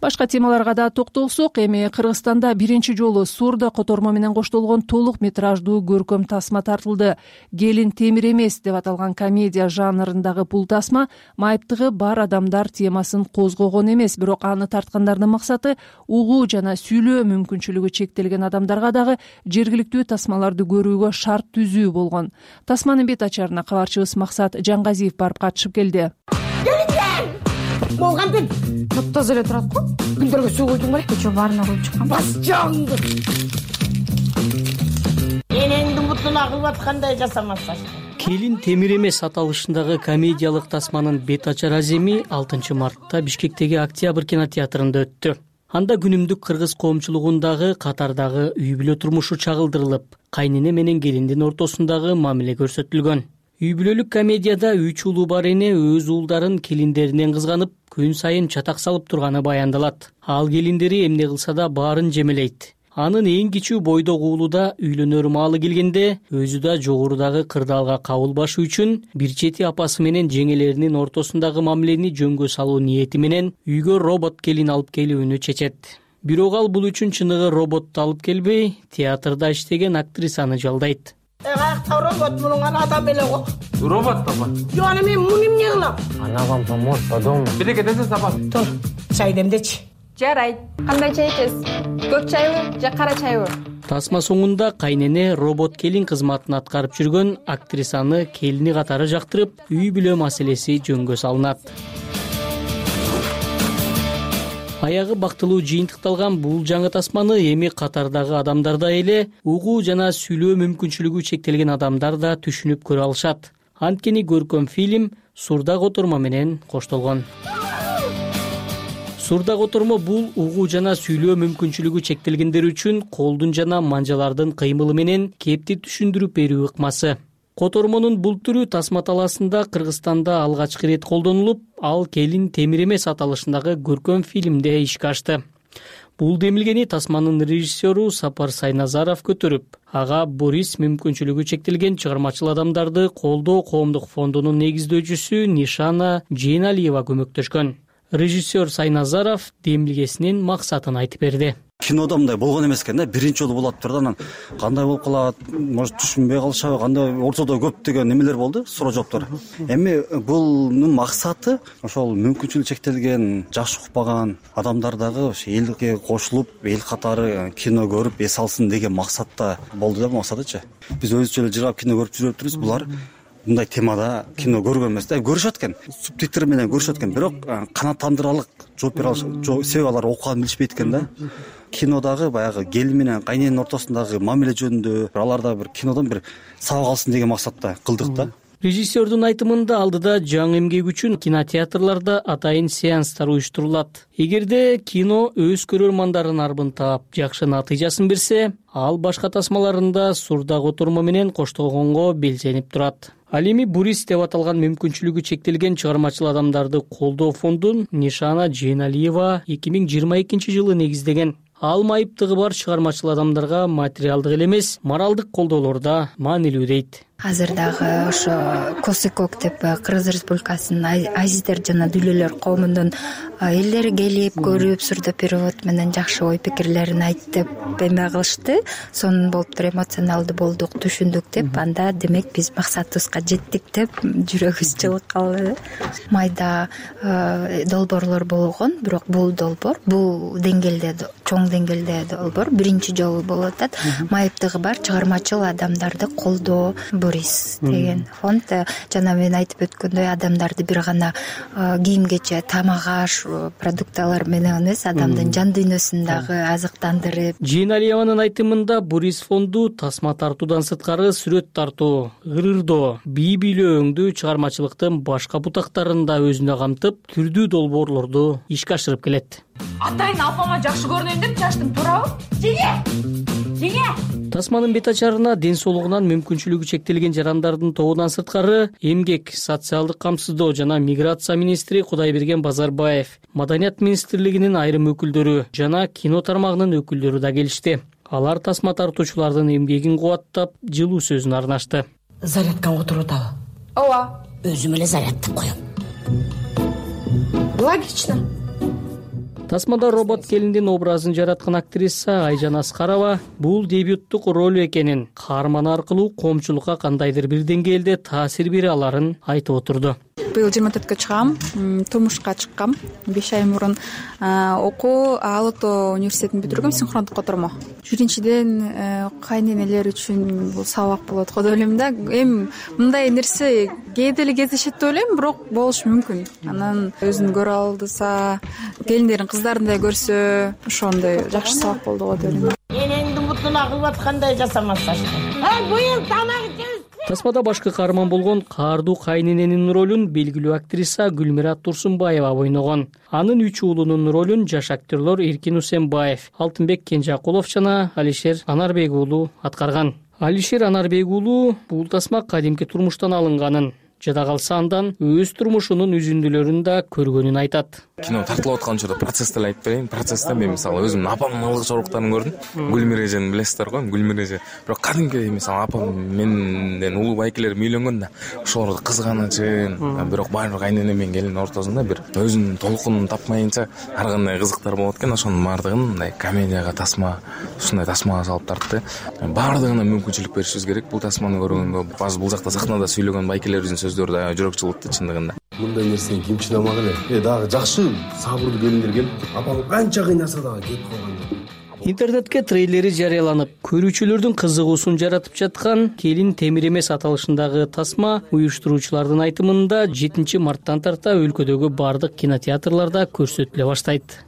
Башка темаларга да токтолсок, эми Кыргызстанда биринчи жолу Сурда котормо менен коштолгон толук метраждуу көркөм тасма тартылды. Келин темир эмес деп аталган комедия жанрындагы бул тасма майыптыгы бар адамдар темасын козгогон эмес, бирок аны тарткандардын максаты угуу жана сүйлөө мүмкүнчүлүгү чектелген адамдарга дагы жергиликтүү тасмаларды көрүүгө шарт түзүү болгон. Тасманын бет ачарына кабарчыбыз Максат Жаңгазиев барып катышып келди. Болгандын топтозо эле турат го. Күндөргө суу куйдуң белек, кечээ баарына куюп чыккан. Бас жаңды. Энеңди мутуна кылып аткандай жасамаса. Келин темир эмес аталышындагы комедиялык тасманын бет ачар аземи алтынчы мартта Бишкектеги Октябрь кинотеатрында өттү. Анда күнүмдүк кыргыз коомчулугундагы катардагы үй бүлө турмушу чагылдырылып, кайнене менен келиндин ортосундагы мамиле көрсөтүлгөн. Үй бүлөлүк комедияда үч уулу бар эне өз уулдарын келиндеринен кызганып, күн сайын чатак салып турганы баяндалат. Ал келиндери эмне кылса да баарын жемелейт. Анын эң кичүү бойдок уулу да үйлөнөр маалы келгенде өзү да жогорудагы кырдаалга кабыл башы үчүн бир чети апасы менен жеңелеринин ортосундагы мамилени жөнгө салуу ниети менен үйгө робот келин алып келүүнү чечет. Бирок ал бул үчүн чыныгы роботту алып келбей, театрда иштеген актрисаны жалдайт. Каякта робот мунун адам эле го. Робот папа. Жок, аны мен муну эмне кылам? Она вам поможет по дому. Бирге десе сапа. Тур, чай демдечи. Жарайт. Кандай чай ичесиз? Көк чайбы же кара чайбы? Тасма соңунда кайнене робот келин кызматын аткарып жүргөн актрисаны келини катары жактырып, үй бүлө маселеси жөнгө салынат. Аягы бактылуу жыйынтыкталган бул жаңы тасманы эми катардагы адамдар да эле, угуу жана сүйлөө мүмкүнчүлүгү чектелген адамдар да түшүнүп көрө алышат. Анткени көркөм фильм Сурда котормо менен коштолгон. Сурда котормо бул угуу жана сүйлөө мүмкүнчүлүгү чектелгендер үчүн колдун жана манжалардын кыймылы менен кепти түшүндүрүп берүү ыкмасы. Котормонун бул түрү тасма талаасында Кыргызстанда алгачкы ирет колдонулуп, ал Келин темир эмес аталышындагы көркөм фильмде ишке ашты. Бул демилгени тасманын режиссеру Сапар Сайназаров көтөрүп, ага Борис мүмкүнчүлүгү чектелген чыгармачыл адамдарды колдоо коомдук фондунун негиздөөчүсү Нишана Жейналиева көмөктөшкөн. Режиссер Сайназаров демилгесинин максатын айтып берди. Кинода мындай болгон эмес экен да, биринчи жолу болот турду, анан кандай болуп калат, может түшүнбөй калышабы, кандай ортодо көптөгөн немелер болду, суроо жооптор. Эми бунун максаты ошол мүмкүнчүлүгү чектелген, жаш укпаган адамдар дагы ошо элге кошулуп, эл катары кино көрүп эс алсын деген максатта болду да, максатычы. Биз өзүчө эле жыргап кино көрүп жүрүп атырбыз, булар мындай темада кино көргөн эмес да, көрүшөт экен, субтитр менен көрүшөт экен, бирок канааттандыралык жооп бере алышат, себеби алар окуганын билишпейт экен да. Кинодагы баягы келин менен кайнененин ортосундагы мамиле жөнүндө аларда бир кинодон бир сабак алсын деген максатта кылдык да. Режиссердун айтымында алдыда жаңы эмгек үчүн кинотеатрларда атайын сеанстар уюштурулат. Эгерде кино өз көрөрмандарын арбын таап, жакшы натыйжасын берсе, ал башка тасмаларында Сурда котормо менен коштолгонго белсенип турат. Ал эми Бурис деп аталган мүмкүнчүлүгү чектелген чыгармачыл адамдарды колдоо фондун Нишана Жейналиева эки миң жыйырма экинчи жылы негиздеген. Ал майыптыгы бар чыгармачыл адамдарга материалдык эле эмес, моралдык колдоолор да маанилүү дейт. Азыр дагы ошо Косыкок деп Кыргыз Республикасынын азиздер жана дүүлөлөр коомунун элдери келип көрүп, сурдо перевод менен жакшы ой пикирлерин айтып эме кылышты. Сонун болуптур, эмоционалдуу болдук, түшүндүк деп, анда демек биз максатыбызга жеттик деп жүрөгүбүз жылып калды. Майда долбоорлор болгон, бирок бул долбоор бул деңгээлде, чоң деңгээлде долбоор биринчи жолу болуп атат. Майыптыгы бар чыгармачыл адамдарды колдоо Борис деген фонд, жана мен айтып өткөндөй, адамдарды бир гана кийим кече, тамак аш, продукталар менен эмес, адамдын жан дүйнөсүн дагы азыктандырып. Жейналиеванын айтымында Борис фонду тасма тартуудан сырткары сүрөт тартуу, ырырдоо, бий бийлөөңдүү чыгармачылыктын башка бутактарын да өзүнө камтып, түрдүү долбоорлорду ишке ашырып келет. Атайын апама жакшы көрүнөйүн деп чачтым, туурабы? Жеңе! Жеңе! Тасманын бет ачарына ден соолугунан мүмкүнчүлүгү чектелген жарандардын тобунан сырткары эмгек, социалдык камсыздоо жана миграция министри Кудайберген Базарбаев, Маданият министрлигинин айрым өкүлдөрү жана кино тармагынын өкүлдөрү да келишти. Алар тасма тартуучулардын эмгегин кубаттап, жылуу сөзүн арнашты. Зарядканга отуруп атабы? Ооба. Өзүм эле зарядтап коем. Логично. Тасмада робот келиндин образын жараткан актриса Айжан Аскарова бул дебюттук роль экенин, каарман аркылуу коомчулукка кандайдыр бир деңгээлде таасир бере аларын айтып отурду. Быйыл жыйырма төрткө чыгам, турмушка чыккам. беш ай мурун окуу Ала Тоо университетин бүтүргөм, синхрондук котормо. Биринчиден кайненелер үчүн бул сабак болот го деп ойлойм да. Эми мындай нерсе кээде эле кездешет деп ойлойм, бирок болушу мүмкүн. Анан өзүн көрө алдыса, келиндерин кыздарындай көрсө, ошондой жакшы сабак болду го деп ойлойм. Энеңдин бутуна кылып аткандай жасамаса. Ай, быйыл тамак жеп. Тасмада башкы каарман болгон каардуу кайнененин ролун белгилүү актриса Гүлмира Турсунбаева ойногон. Анын үч уулунун ролун жаш актерлор Эркин Усенбаев, Алтынбек Кенжакулов жана Алишер Анарбек уулу аткарган. Алишер Анарбек уулу бул тасма кадимки турмуштан алынганын, жада калса андан өз турмушунун үзүндүлөрүн да көргөнүн айтат. Кино тартылып аткан учурда процессти эле айтып берейин. Процессте мен мисалы өзүмдүн апамдын ылгы чоруктарын көрдүм. Гүлмира эжени билесиздер го, Гүлмира эже. Бирок кадимки мисалы апам менден улуу байкелерим үйлөнгөн да, ошолорду кызганычын, бирок баары кайнене менен келин ортосунда бир өзүнүн толкунун тапмайынча ар кандай кызыктар болот экен. Ошонун баардыгын мындай комедияга тасма, ушундай тасмага салып тартты. Баардыгына мүмкүнчүлүк беришибиз керек. Бул тасманы көргөндө азыр бул жакта сахнада сүйлөгөн байкелерибиздин сөздөрү да жүрөк жылытты чындыгында. Мындай нерсени ким чыдамак эле? Э дагы жакшы сабырдуу келиндер келип, апам канча кыйнаса дагы кетип калган. Интернетке трейлери жарыяланып, көрүүчүлөрдүн кызыгуусун жаратып жаткан Келин темир эмес аталышындагы тасма уюштуруучулардын айтымында жетинчи марттан тарта өлкөдөгү бардык кинотеатрларда көрсөтүлө баштайт.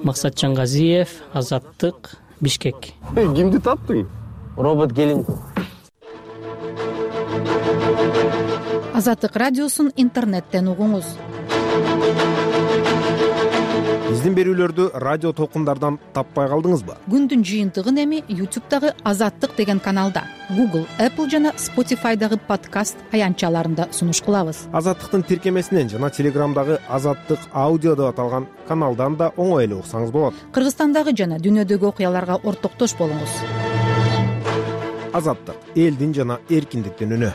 Максат Жангазиев, Азаттык, Бишкек. Кимди таптың? Робот келин. Азаттык радиосун интернеттен угуңуз. Биздин берүүлөрдү радио толкундардан таппай калдыңызбы? Күндүн жыйынтыгын эми YouTube'дагы Азаттык деген каналда, Google, Apple жана Spotify'дагы подкаст аянтчаларында сунуш кылабыз. Азаттыктын тиркемесинен жана Телеграмдагы Азаттык аудио деп аталган каналдан да оңой эле уксаңыз болот. Кыргызстандагы жана дүйнөдөгү окуяларга ортоктош болуңуз. Азаттык — элдин жана эркиндиктин үнү.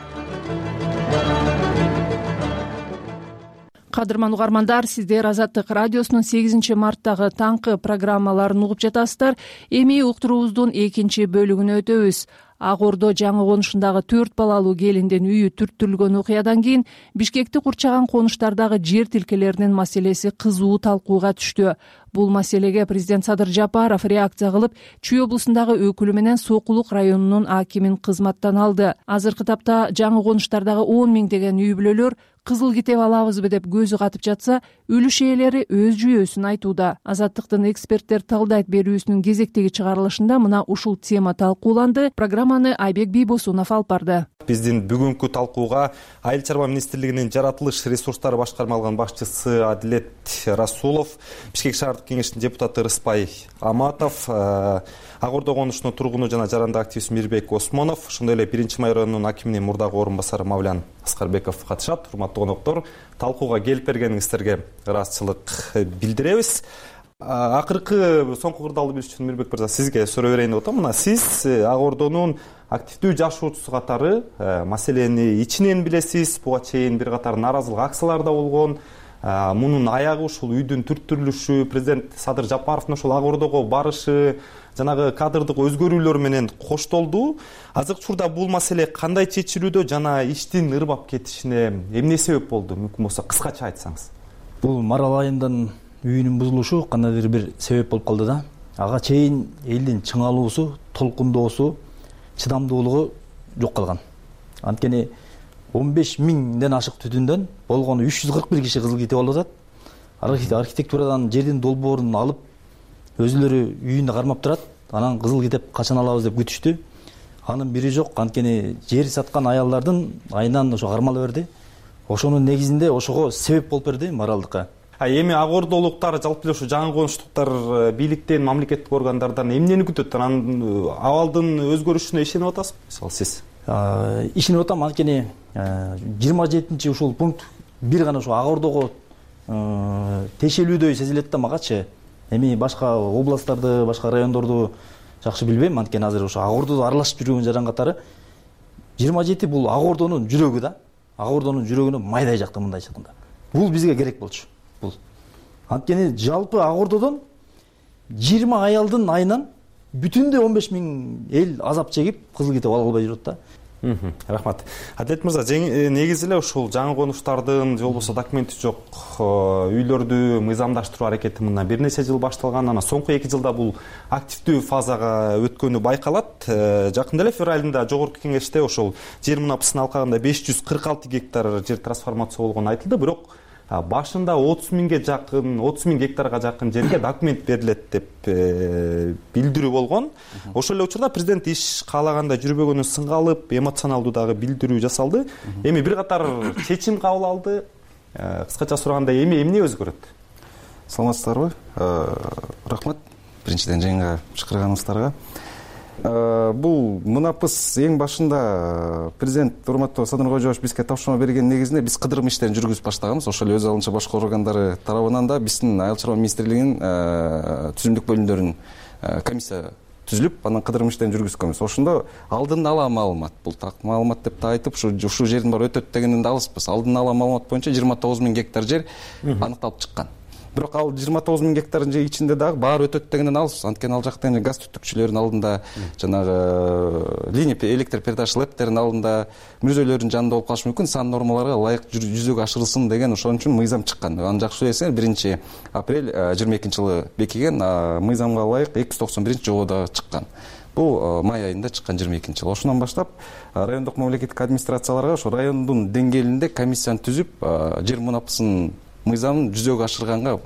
Кадырман угармандар, сиздер Азаттык радиосунун сегизинчи марттагы таңкы программаларын угуп жатасыздар. Эми уктуруубуздун экинчи бөлүгүнө өтөбүз. Ак Ордо жаңы конушундагы төрт балалуу келиндин үйү түрттүрүлгөн окуядан кийин Бишкекти курчаган конуштардагы жер тилкелеринин маселеси кызуу талкууга түштү. Бул маселеге президент Садыр Жапаров реакция кылып, Чүй облусундагы өкүлү менен Сокулук районунун акимин кызматтан алды. Азыркы тапта жаңы конуштардагы он миңдеген үй бүлөлөр кызыл китеп алабызбы деп көзү катып жатса, үлүш ээлери өз жүйөсүн айтууда. Азаттыктын эксперттер талдайт берүүсүнүн кезектеги чыгарылышында мына ушул тема талкууланды. Программаны Айбек Бийбосунов алып барды. Биздин бүгүнкү талкууга Айыл чарба министрлигинин жаратылыш ресурстары башкарма алган башчысы Адилет Расулов, Бишкек шаардык кеңештин депутаты Рыспай Аматов, Ак Ордо конушунун тургуну жана жаранды активист Мирбек Осмонов, ошондой эле биринчи майор районунун акиминин мурдагы орун басары Мавлян Аскарбеков катышат. Урматтуу коноктор, талкууга келип бергениңиздерге ыраазычылык билдиребиз. Акыркы соңку кырдаалды билиш үчүн Мирбек мырза сизге суроо берейин деп атам. Мына сиз Ак Ордонун активдүү жашоочусу катары маселени ичинен билесиз. Буга чейин бир катар нааразылык акциялары да болгон. Мунун аягы ушул үйдүн түрттүрүлүшү, президент Садыр Жапаровдун ушул Ак Ордого барышы, жанагы кадрдык өзгөрүүлөр менен коштолду. Азыркы учурда бул маселе кандай чечилүүдө жана иштин ырбап кетишине эмне себеп болду? Мүмкүн болсо кыскача айтсаңыз. Бул Марал айымдын үйүнүн бузулушу кандайдыр бир себеп болуп калды да. Ага чейин элдин чыңалуусу, толкундоосу, чыдамдуулугу жок калган. Анткени он беш миңден ашык түтүндөн болгону үч жүз кырк бир киши кызыл китеп алып атат. Архитектурадан жердин долбоорун алып, өзүлөрү үйүндө кармап турат. Анан кызыл китеп качан алабыз деп күтүштү. Анын бири жок. Анткени жер саткан аялдардын айынан ошо кармала берди. Ошонун негизинде ошого себеп болуп берди Маралдыкка. Эми Ак Ордолуктар жалпы эле ушу жаңы конуштуктар бийликтен, мамлекеттик органдардан эмнени күтөт? Анан абалдын өзгөрүшүнө ишенип атасызбы? Мисалы сиз? Ишенип атам. Анткени жыйырма жетинчи ушул пункт бир гана ушу Ак Ордого тиешелүүдөй сезилет да магачы. Эми башка областтарды, башка райондорду жакшы билбейм. Анткени азыр ушу Ак Ордодо аралашып жүргөн жаран катары жыйырма жети бул Ак Ордонун жүрөгү да. Ак Ордонун жүрөгүнө майдай жакты мындай чыкканда. Бул бизге керек болчу. Бул анткени жалпы ак ордодон жыйырма аялдын айынан бүтүндөй он беш миң эл азап чегип кызыл китеп ала албай жүрөт да. Рахмат. Адилет мырза, негизи эле ушул жаңы конуштардын же болбосо документи жок үйлөрдү мыйзамдаштыруу аракети мындан бир нече жыл башталган. Анан соңку эки жылда бул активдүү фазага өткөнү байкалат. Жакында эле февраль айында жогорку кеңеште ошол жер мунапысын алкагында беш жүз кырк алты гектар жер трансформация болгону айтылды, бирок башында отуз миңге жакын, отуз миң гектарга жакын жерге документ берилет деп билдирүү болгон. Ошол эле учурда президент иш каалагандай жүрбөгөнүн сынга алып, эмоционалдуу дагы билдирүү жасалды. Эми бир катар чечим кабыл алды. Кыскача сураганда эми эмне өзгөрөт? Саламатсыздарбы? Рахмат биринчиден жыйынга чакырганыңыздарга. Бул мунапыс эң башында президент урматтуу Садыр Кожоевич бизге тапшырма берген негизинде биз кыдырым иштерин жүргүзүп баштаганбыз. Ошол эле өз алынча башкы органдары тарабынан да биздин Айыл чарба министрлигинин түзүмдүк бөлүмдөрүнүн комиссия түзүлүп, анан кыдырым иштерин жүргүзгөнбүз. Ошондо алдын ала маалымат, бул так маалымат деп та айтып, ушу ушул жердин баары өтөт дегенден да алыспыз. Алдын ала маалымат боюнча жыйырма тогуз миң гектар жер аныкталып чыккан. Бирок ал жыйырма тогуз миң гектардын ичинде дагы баары өтөт дегенден алыс. Анткени ал жакта газ түтүкчүлөрдүн алдында, жанагы линия электр передача лептердин алдында, мүрөзөлөрдүн жанында болуп калышы мүмкүн. Сан нормаларга ылайык жүзөгө ашырылсын деген ошон үчүн мыйзам чыккан. Аны жакшы билесиңер, биринчи апрель жыйырма экинчи жылы бекиген мыйзамга ылайык эки жүз токсон биринчи жобода чыккан. Бул май айында чыккан жыйырма экинчи жыл. Ошондон баштап райондук мамлекеттик администрацияларга ошо райондун деңгээлинде комиссияны түзүп, жер мунапысын мыйзамын жүзөгө ашырганга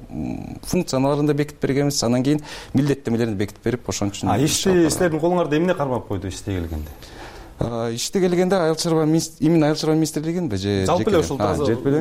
функцияларын да бекитип бергенбиз. Анан кийин милдеттемелерин бекитип берип, ошон үчүн ишти силердин колуңарда эмне кармап койду ишти келгенде? Ишти келгенде айыл чарба именно айыл чарба министрлигинби же жалпы эле ушул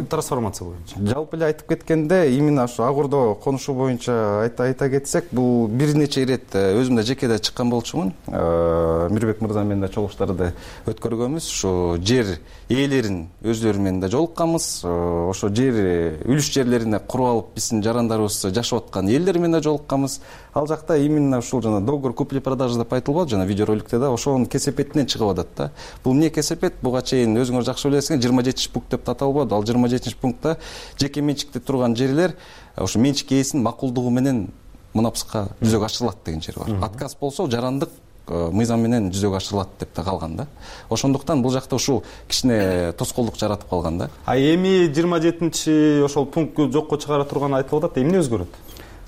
трансформация боюнча жалпы эле айтып кеткенде именно ушу ак ордо конушу боюнча айта айта кетсек, бул бир нече ирет өзүм да жекеде чыккан болчумун. Мирбек мырза менен да чогулуштарды өткөргөнбүз. Ушу жер ээлерин өздөрү менен да жолукканбыз. Ошо жер үлүш жерлерине куруп алып биздин жарандарыбыз жашап аткан элдер менен да жолукканбыз. Ал жакта именно ушул жана договор купли-продажа деп айтылбады, жана видеороликте да ошонун кесепетинен чыгып атат да. Бул эмне кесепет? Буга чейин өзүңөр жакшы билесиңер, жыйырма жетинчи пункт деп аталбады. Ал жыйырма жетинчи пунктта жеке менчикте турган жерлер ошо менчик ээсинин макулдугу менен мунапыска жүзөгө ашырылат деген жер бар. Отказ болсо жарандык мыйзам менен жүзөгө ашырылат деп да калган да. Ошондуктан бул жакта ушул кичине тоскоолдук жаратып калган да. А эми жыйырма жетинчи ошол пунктты жокко чыгара турганы айтылып атат. Эмне өзгөрөт?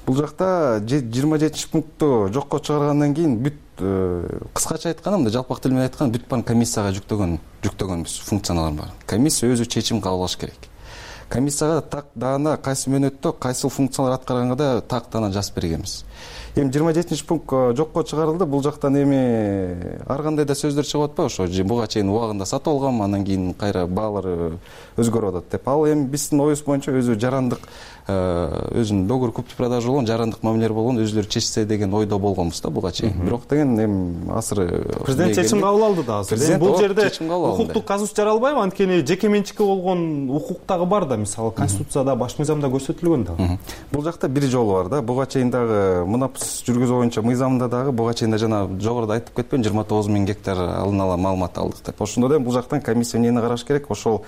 Бул жакта жыйырма жетинчи пунктту жокко чыгаргандан кийин бүт кыскача айтканда, мындай жалпак тил менен айтканда бүт баарын комиссияга жүктөгөн жүктөгөнбүз функцияларын баарын. Комиссия өзү чечим кабыл алыш керек. Комиссияга так даана кайсы мөөнөттө кайсыл функциялар аткарганга да так даана жазып бергенбиз. Эми жыйырма жетинчи пункт жокко чыгарылды. Бул жактан эми ар кандай да сөздөр чыгып атпайбы? Ошо буга чейин убагында сатып алгам, анан кийин кайра баалары өзгөрүп атат деп. Ал эми биздин оюбуз боюнча өзү жарандык өзүнүн договор купли-продажа болгон, жарандык мамилелер болгон өзүлөрү чечсе деген ойдо болгонбуз да буга чейин. Бирок деген эми азыр президент чечим кабыл алды да азыр. Бул жерде укуктук казус жаралбайбы? Анткени жеке менчикке болгон укук дагы бар да, мисалы конституцияда, баш мыйзамда көрсөтүлгөн да. Бул жакта бир жол бар да. Буга чейин дагы мунапыс жүргүзүү боюнча мыйзамда дагы буга чейин да жана жогоруда айтып кетпедим, жыйырма тогуз миң гектар алдын ала маалымат алдык деп. Ошондо да бул жактан комиссия эмнени караш керек? Ошол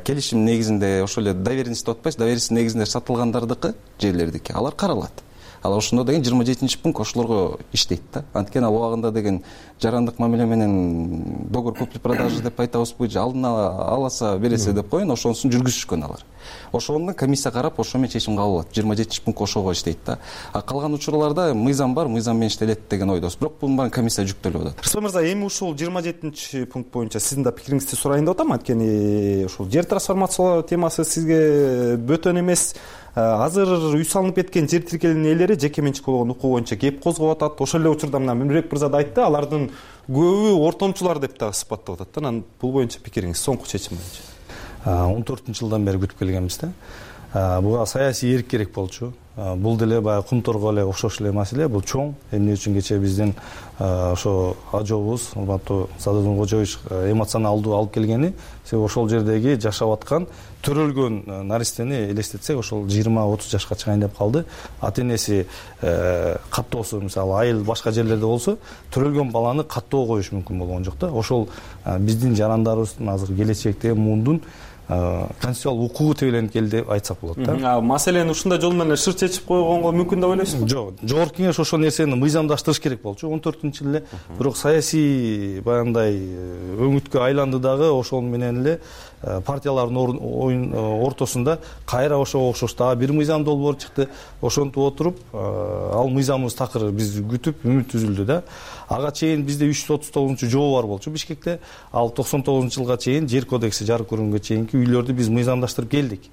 келишим негизинде, ошол эле доверенность деп атпайсызбы, доверенность негизинде сатылгандардыкы, жерлердики, алар каралат. Ал ошондо деген жыйырма жетинчи пункт ошолорго иштейт да. Анткени ал убагында деген жарандык мамиле менен договор купли-продажа деп айтабызбы, алдын ала аласа бересе деп коеюн, ошонусун жүргүзүшкөн алар. Ошону комиссия карап, ошо менен чечим кабыл алат. жыйырма жетинчи пункт ошого иштейт да. А калган учурларда мыйзам бар, мыйзам менен иштелет деген ойдобуз. Бирок бунун баарын комиссия жүктөлүп атат. Рыспек мырза, эми ушул жыйырма жетинчи пункт боюнча сиздин да пикириңизди сурайын деп атам. Анткени ушул жер трансформациялоо темасы сизге бөтөн эмес. Азыр үй салынып кеткен жер тиркеленин ээлери жеке менчик болгон укук боюнча кеп козгоп атат. Ошол эле учурда мына Мирбек мырза да айтты, алардын көбү ортомчулар деп да сыпаттап атат. Анан бул боюнча пикириңиз, соңку чечим боюнча. он төртүнчү жылдан бери күтүп келгенбиз да. Буга саясий эрк керек болчу. Бул деле баягы кумторго эле окшош эле маселе. Бул чоң. Эмне үчүн кечээ биздин ошо ажообуз, урматтуу Садыр Кожоевич эмоционалдуу алып келгени, себеби ошол жердеги жашап аткан төрөлгөн наристени элестетсек, ошол жыйырма отуз жашка чыгайын деп калды. Ата энеси каттоосу, мисалы айыл башка жерлерде болсо, төрөлгөн баланы каттоо коюш мүмкүн болгон жок да. Ошол биздин жарандарыбыздын азыр келечекте муундун конституциялык укугу тебеленип келди деп айтсак болот да. Маселени ушундай жол менен шыр чечип койгонго мүмкүн деп ойлойсузбу? Жок, жогорку кеңеш ошол нерсени мыйзамдаштырыш керек болчу он төртүнчү жылы эле. Бирок саясий баягындай өңүткө айланды дагы, ошол менен эле партиялардын оюн ортосунда кайра ошого окшош дагы бир мыйзам долбоор чыкты. Ошентип отуруп, ал мыйзамыбыз такыр биз күтүп үмүт үзүлдү да. Ага чейин бизде үч жүз отуз тогузунчу жобо бар болчу Бишкекте. Ал токсон тогузунчу жылга чейин жер кодекси жарык көргөнгө чейинки үйлөрдү биз мыйзамдаштырып келдик.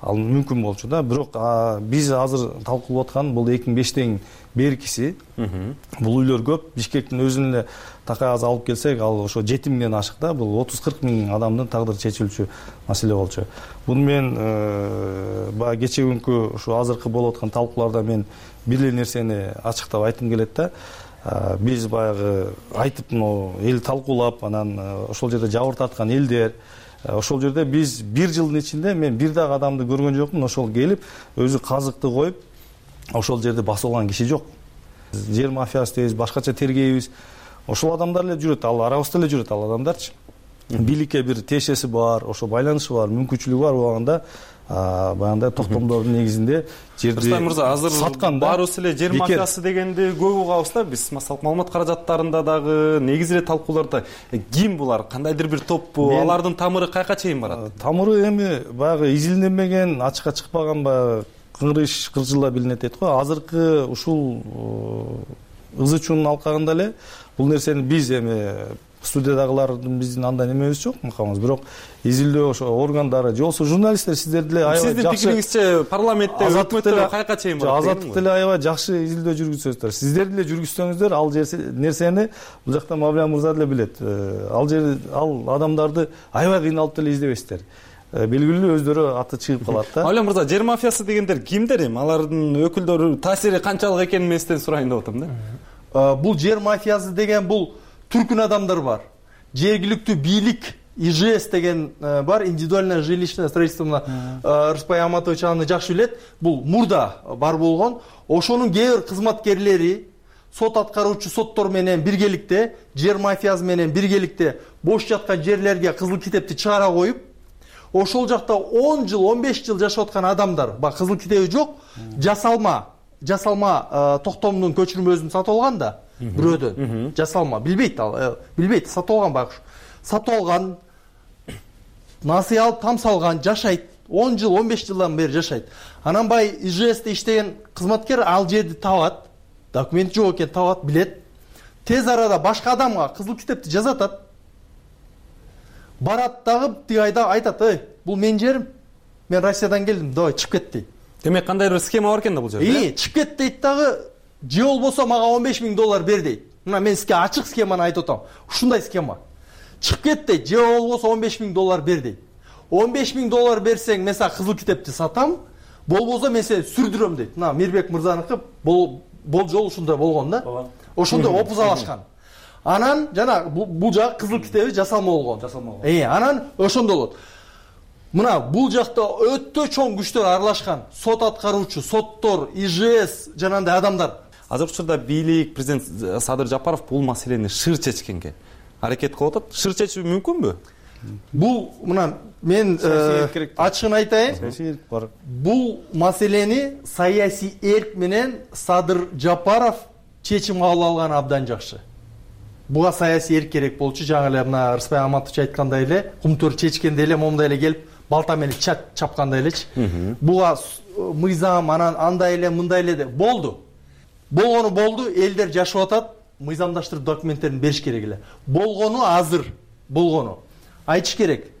Ал мүмкүн болчу да. Бирок биз азыр талкуулап аткан бул эки миң бештен беркиси. Бул үйлөр көп. Бишкектин өзүн эле такай аз алып келсек, ал ошо жети миңден ашык да. Бул отуз кырк миң адамдын тагдыры чечилчү маселе болчу. Буну мен баягы кече күнкү ушу азыркы болуп аткан талкууларда мен бир эле нерсени ачыктап айткым келет да. Биз баягы айтып, эл талкуулап, анан ошол жерде жабыр тарткан элдер, ошол жерде биз бир жылдын ичинде мен бир дагы адамды көргөн жокмун, ошол келип өзү казыкты коюп ошол жерде басып алган киши жок. Жер мафиясы дейбиз, башкача тергейбиз. Ошол адамдар эле жүрөт, ал арабызда эле жүрөт ал адамдарчы. Бийликке бир тиешеси бар, ошо байланышы бар, мүмкүнчүлүгү бар болгондо баягындай токтомдордун негизинде жерди Рустам мырза, азыр саткан да. Баарыбыз эле жер мафиясы дегенди көп угабыз да. Биз массалык маалымат каражаттарында дагы, негизи эле талкууларда ким булар, кандайдыр бир топпу, алардын тамыры каяка чейин барат? Тамыры эми баягы изилденбеген, ачыкка чыкпаган баягы кыңрыш кыржылла билинет дейт го. Азыркы ушул ызы чуунун алкагында эле бул нерсени биз эми студиядагылардын биздин андай немебиз жок, макамыбыз. Бирок изилдөө ошо органдары же болбосо журналисттер сиздер деле аябай жакшы. Сиздин пикириңизче парламентте, өкмөттө каяка чейин барат? Азаттык деле аябай жакшы изилдөө жүргүзөсүздөр. Сиздер деле жүргүзсөңүздөр, ал нерсени бул жакта Мавлия мырза деле билет. Ал жер ал адамдарды аябай кыйналып деле издебейсиздер. Белгилүү өздөрү аты чыгып калат да. Мавлия мырза, жер мафиясы дегендер кимдер эми? Алардын өкүлдөрү таасири канчалык экенин мен сизден сурайын деп атам да. Бул жер мафиясы деген бул түркүн адамдар бар. Жергиликтүү бийлик И Ж С деген бар, индивидуальное жилищное строительство. Рыспай Аматович аны жакшы билет. Бул мурда бар болгон. Ошонун кээ бир кызматкерлери сот аткаруучу соттор менен биргеликте, жер мафиясы менен биргеликте бош жаткан жерлерге кызыл китепти чыгара коюп, ошол жакта он жыл, он беш жыл жашап аткан адамдар, бак кызыл китеби жок, жасалма, жасалма токтомдун көчүрмөсүн сатып алган да. Бирөөдөн жасалма, билбейт ал, билбейт, сатып алган багыш. Сатып алган, насый алып, там салган, жашайт. он жыл, он беш жылдан бери жашайт. Анан бай И Ж С'те иштеген кызматкер ал жерди табат, документ жок экен табат, билет. Тез арада башка адамга кызыл китепти жазатат. Барат дагы тиги айда айтат: "Эй, бул менин жерим. Мен Россиядан келдим, давай чыгып кет" дейт. Демек кандайдыр бир схема бар экен да бул жерде. Ии, чыгып кет дейт дагы, же болбосо мага он беш миң доллар бер дейт. Мына мен сизге ачык схеманы айтып атам. Ушундай схема. Чыгып кет дейт, же болбосо он беш миң доллар бер дейт. он беш миң доллар берсең, мен сага кызыл китепти сатам, болбосо мен сени сүрдүрөм дейт. Мына Мирбек мырзаныкы бул жол ушундай болгон да. Ошондой опузалашкан. Анан жана бул жак кызыл китеби жасалма болгон. Жасалма болгон. Э, анан ошондой болот. Мына бул жакта өтө чоң күчтөр аралашкан. Сот аткаруучу, соттор, И Ж С жанагындай адамдар. Азыркы учурда бийлик, президент Садыр Жапаров бул маселени шыр чечкенге аракет кылып атат. Шыр чечүү мүмкүнбү? Бул мына мен ачыгын айтайын. Бул маселени саясий эрк менен Садыр Жапаров чечим кабыл алган абдан жакшы. Буга саясий эрк керек болчу. Жаңы эле мына Рыспай Аматович айткандай эле, кумтөр чечкенде эле момундай эле келип балта менен чапкандай элечи. Буга мыйзам анан андай эле, мындай эле болду. Болгону болду, элдер жашап атат, мыйзамдаштырып документтерин бериш керек эле. Болгону азыр, болгону. Айтыш керек.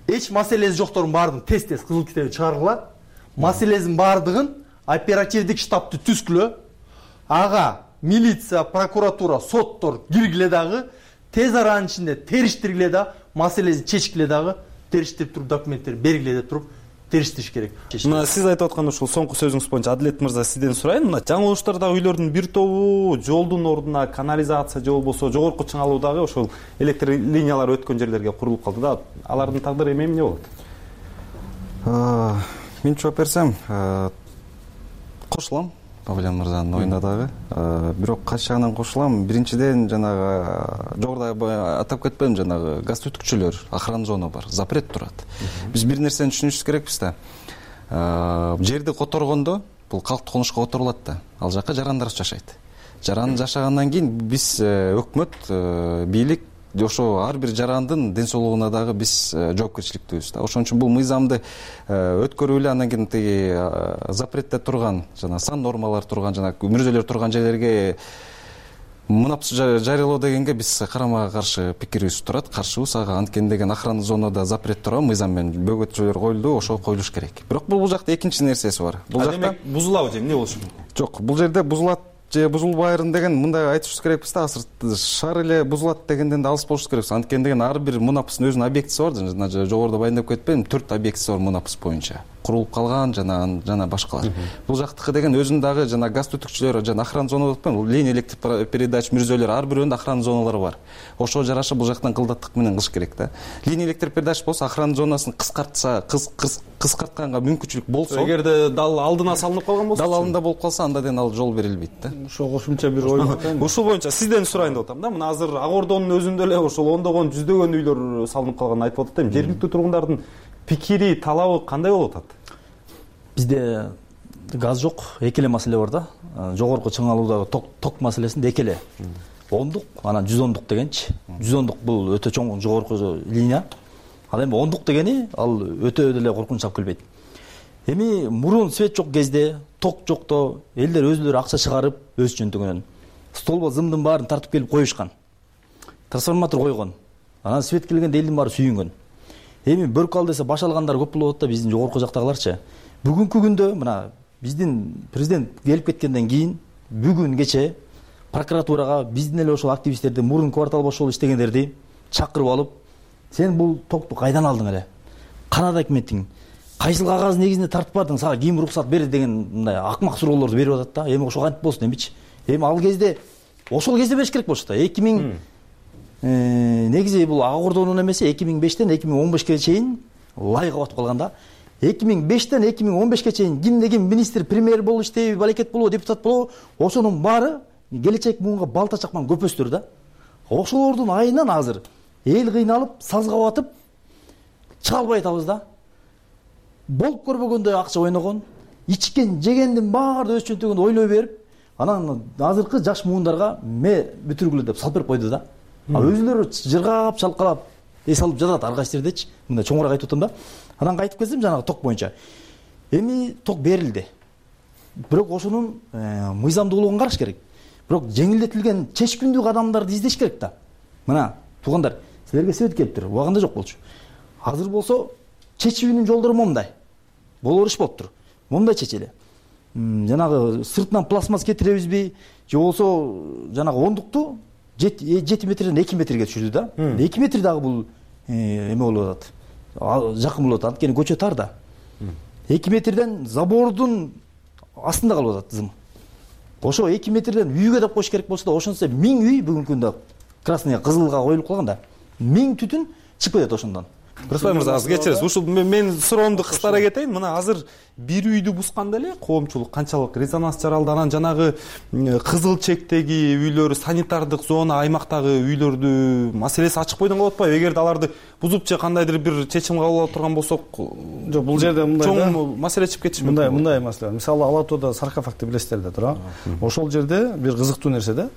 Эч маселеси жоктордун баардыгын тез-тез кызыл китеби чыгаргыла. Маселесинин баардыгын оперативдик штабты түзгүлө. Ага милиция, прокуратура, соттор киргиле дагы, тез аранын ичинде териштиргиле да, маселесин чечкиле дагы, териштирип туруп документтерин бергиле деп туруп териштириш керек. Мына сиз айтып аткан ушул соңку сөзүңүз боюнча Адилет мырза сизден сурайын. Мына жаңы уруштардагы үйлөрдүн бир тобу жолдун ордуна канализация же болбосо жогорку чыңалуудагы ошол электр линиялары өткөн жерлерге курулуп калды да. Алардын тагдыры эми эмне болот? Мен жооп берсем, кошулам. Бабалян мырзанын оюна дагы. Бирок кайсы жагынан кошулам. Биринчиден жанагы жогоруда атап кетпейм, жанагы газ түтүкчүлөр, охрана зона бар, запрет турат. Биз бир нерсени түшүнүшүбүз керекпиз да. Жерди которгондо бул калктык конушка которулат да. Ал жака жарандар жашайт. Жаран жашагандан кийин биз өкмөт, бийлик ошо ар бир жарандын ден соолугуна дагы биз жоопкерчиликтүүбүз да. Ошон үчүн бул мыйзамды өткөрүп эле андан кийин тиги запретте турган жана сан нормалар турган жана мүрөжөлөр турган жерлерге мунапс жарыялоо дегенге биз карама каршы пикирибиз турат, каршыбыз ага. Анткени деген охрана зонада запрет турган мыйзам менен бөгөтчөлөр коюлду, ошо коюлуш керек. Бирок бул жакта экинчи нерсеси бар. Бул жакта бузулабы же эмне болушу мүмкүн? Жок, бул жерде бузулат же бузулбайрын деген мындай айтышыбыз керекпиз да. Азыр шаар эле бузулат дегенден да алыс болушубуз керекпиз. Анткени деген ар бир мунапстын өзүнүн объектиси бар. Жана жогоруда баяндап кетпедим, төрт объектиси бар мунапс боюнча. Курулуп калган жана жана башкалар. Бул жактыкы деген өзүнүн дагы жана газ түтүкчүлөр жана охрана зона деп коем. Линия электр передач мүрөжөлөр ар бирөөнүн охрана зоналары бар. Ошого жараша бул жактан кылдаттык менен кылыш керек да. Линия электр передач болсо охрана зонасын кыскартса, кыскартканга мүмкүнчүлүк болсо, эгерде дал алдына салынып калган болсо, дал алдында болуп калса, анда ден ал жол берилбейт да. Ошо кошумча бир ой бар. Ушул боюнча сизден сурайын деп атам да. Мына азыр Ак Ордонун өзүндө эле ошол ондогон, жүздөгөн үйлөр салынып калганын айтып атат эми. Жергиликтүү тургундардын пикири, талабы кандай болуп атат? Бизде газ жок, эки эле маселе бар да. Жогорку чыңалуудагы ток ток маселесинде эки эле. Ондук, анан жүз ондук дегенчи. жүз ондук бул өтө чоң жогорку линия. Ал эми ондук дегени ал өтө деле коркунуч алып келбейт. Эми мурун свет жок кезде, ток жокто элдер өзүлөрү акча чыгарып өз жөнтөгүнөн столбо зымдын баарын тартып келип коюшкан. Трансформатор койгон. Анан свет келгенде элдин баары сүйүнгөн. Эми бөркү ал десе баш алгандар көп болуп атат да, биздин жогорку жактагыларчы. Бүгүнкү күндө мына биздин президент келип кеткенден кийин бүгүн кече прокуратурага биздин эле ошол активисттерди, мурун квартал бошолуп иштегендерди чакырып алып, сен бул токту кайдан алдың эле? Канада өкмөтүң кайсыл кагаз негизинде тартып бардың, сага ким уруксат берди деген мындай акмак суроолорду берип атат да. Эми ошо кантип болсун эмичи? Эми ал кезде ошол кезде бериш керек болчу да. эки миң негизи бул Ак Ордонун эмеси эки миң бештен эки миң он бешке чейин лайыгы батып калган да. эки миң бештен эки миң он бешке чейин кимде ким министр, премьер болуп иштейби, балекет болобу, депутат болобу, ошонун баары келечек муунга балта чакман көпөстөр да. Ошолордун айынан азыр эл кыйналып, сазга батып чыга албай атабыз да. Болуп көрбөгөндөй акча ойногон, ичкен, жегендин баары өз чөнтөгүндө ойлой берип, анан азыркы жаш муундарга ме бүтүргүлө деп салып берип койду да. А өзүлөрү жыргап, чалкалап, эс алып жатат ар кайсы жердечи. Мындай чоңураак айтып атам да. Анан кайтып келсем жанагы ток боюнча. Эми ток берилди. Бирок ошонун мыйзамдуулугун караш керек. Бирок жеңилдетилген чечкиндүү кадамдарды издеш керек да. Мына туугандар, силерге свет келиптир, убагында жок болчу. Азыр болсо чечүүнүн жолдору момундай. Болор иш болуптур. Момундай чечели. Жанагы сыртынан пластмасс кетиребизби, же болсо жанагы ондукту жети метрден эки метрге түшүрдү да. эки метр дагы бул эме болуп атат. Жакын болуп атат. Анткени көчө тар да. эки метрден забордун астында калып атат зым. Ошо эки метрден үйгө деп коюш керек болсо да, ошонсо миң үй бүгүнкү күндө красный кызылга коюлуп калган да. миң түтүн чыгып кетет ошондон. Кырсбай мырза, азыр кечиресиз. Ушул мен суроомду кыскартара кетейин. Мына азыр бир үйдү бусканда эле коомчулук канчалык резонанс жаралды. Анан жанагы кызыл чектеги үйлөр, санитардык зона аймактагы үйлөрдү маселеси ачык бойдон калып атпайбы? Эгерде аларды бузуп же кандайдыр бир чечим кабыл ала турган болсок, жок, бул жерде мындай да, чоң маселе чыгып кетиши мүмкүн. Мындай мындай маселе. Мисалы Ала Тоодо саркофагды билесиздер да, туура? Ошол жерде бир кызыктуу нерсе да.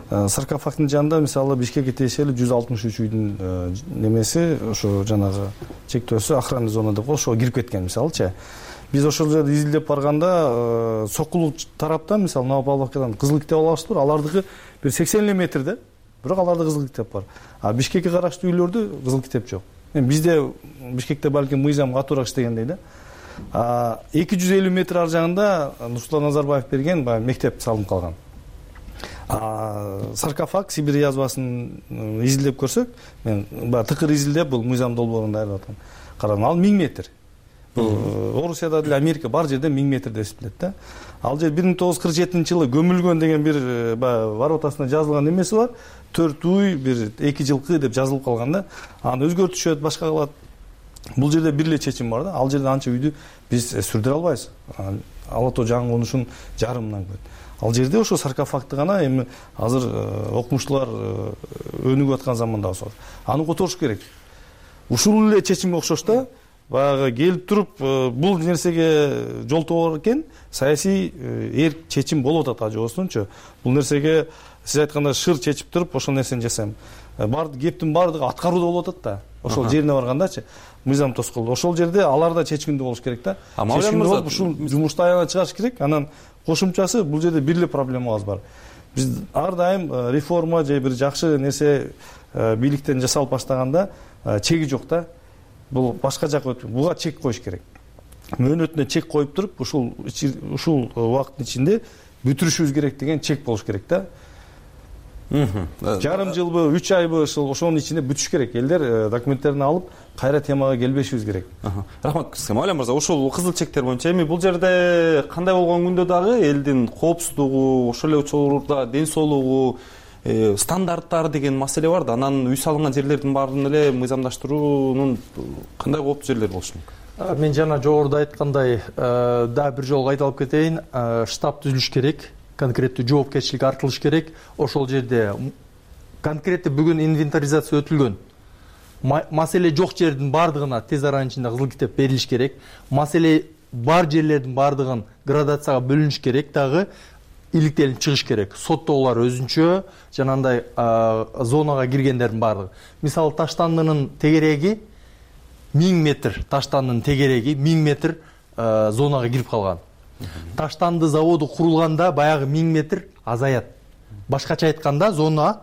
Саркофагдын жанында мисалы Бишкекке тиешелүү жүз алтымыш үч үйдүн немеси, ошо жанагы чектөөсү охранный зона деп ошого кирип кеткен мисалычы. Биз ошол жерде изилдеп барганда сокулук тараптан мисалы Новопавловкадан кызыл китеп алабызбыр. Алардыкы бир сексен эле метрде, бирок аларда кызыл китеп бар. А Бишкекке караштуу үйлөрдө кызыл китеп жок. Эми бизде Бишкекте балким мыйзам катуураак иштегендей да. А эки жүз элүү метр ар жагында Нурсултан Назарбаев берген баягы мектеп салынып калган. А саркофаг Сибирь язвасын изилдеп көрсөк, мен баягы тыкыр изилдеп бул мыйзам долбоорун даярдап атам. Карадым, ал миң метр. Бул Орусияда деле, Америка бар жерде миң метр деп эсептелет да. Ал жер бир миң тогуз жүз кырк жетинчи жылы көмүлгөн деген бир баягы воротасына жазылган эмеси бар. төрт уй, бир эки жылкы деп жазылып калган да. Аны өзгөртүшөт, башка кылат. Бул жерде бир эле чечим бар да. Ал жерде анча үйдү биз сүрдүрө албайбыз. ала тоо жаңы конушунун жарымынан көп. Ал жерде ошо саркофагты гана эми азыр окумуштуулар өнүгүп аткан заманда болсо аны которуш керек. Ушул эле чечимге окшош да баягы келип туруп бул нерсеге жолтоо экен саясий эрк чечим болуп атат, жобосунчу бул нерсеге сиз айткандай шыр чечип туруп ошол нерсени жасайм. Бар кептин баардыгы аткарууда болуп атат да. Ошол жерине баргандачы мыйзам тоскоолдо. Ошол жерде алар да чечкиндүү болуш керек да. Чечкиндүү болуп ушул жумушту аягына чыгарыш керек. Анан кошумчасы бул жерде бир эле проблемабыз бар. Биз ар дайым реформа же бир жакшы нерсе бийликтен жасалып баштаганда чеги жок да. Бул башка жака өтүп, буга чек коюш керек. Мөөнөтүнө чек коюп туруп, ушул ушул убакыттын ичинде бүтүрүшүбүз керек деген чек болуш керек да. Жарым жылбы, үч айбы ошонун ичинде бүтүш керек. Элдер документтерин алып, кайра темага келбешибиз керек. Рахмат сизге, Мавлян мырза. Ошол кызыл чектер боюнча эми бул жерде кандай болгон күндө дагы элдин коопсуздугу, ошол эле учурда ден соолугу, стандарттар деген маселе бар да. Анан үй салынган жерлердин баарын эле мыйзамдаштыруунун кандай кооптуу жерлери болушу мүмкүн? Мен жана жогоруда айткандай, да бир жолу кайталып кетейин, штаб түзүлүш керек, конкреттүү жоопкерчилик артылыш керек. Ошол жерде конкреттүү бүгүн инвентаризация өтүлгөн. Маселе жок жердин баардыгына тез аранын ичинде кызыл китеп берилиш керек. Маселе бар жерлердин баардыгын градацияга бөлүнүш керек, дагы иликтелип чыгыш керек. Соттоолор өзүнчө, жанагындай зонага киргендердин баардыгы. Мисалы Таштандынын тегереги миң метр, Таштандынын тегереги миң метр зонага кирип калган. Таштанды заводу курулганда баягы миң метр азаят. Башкача айтканда зона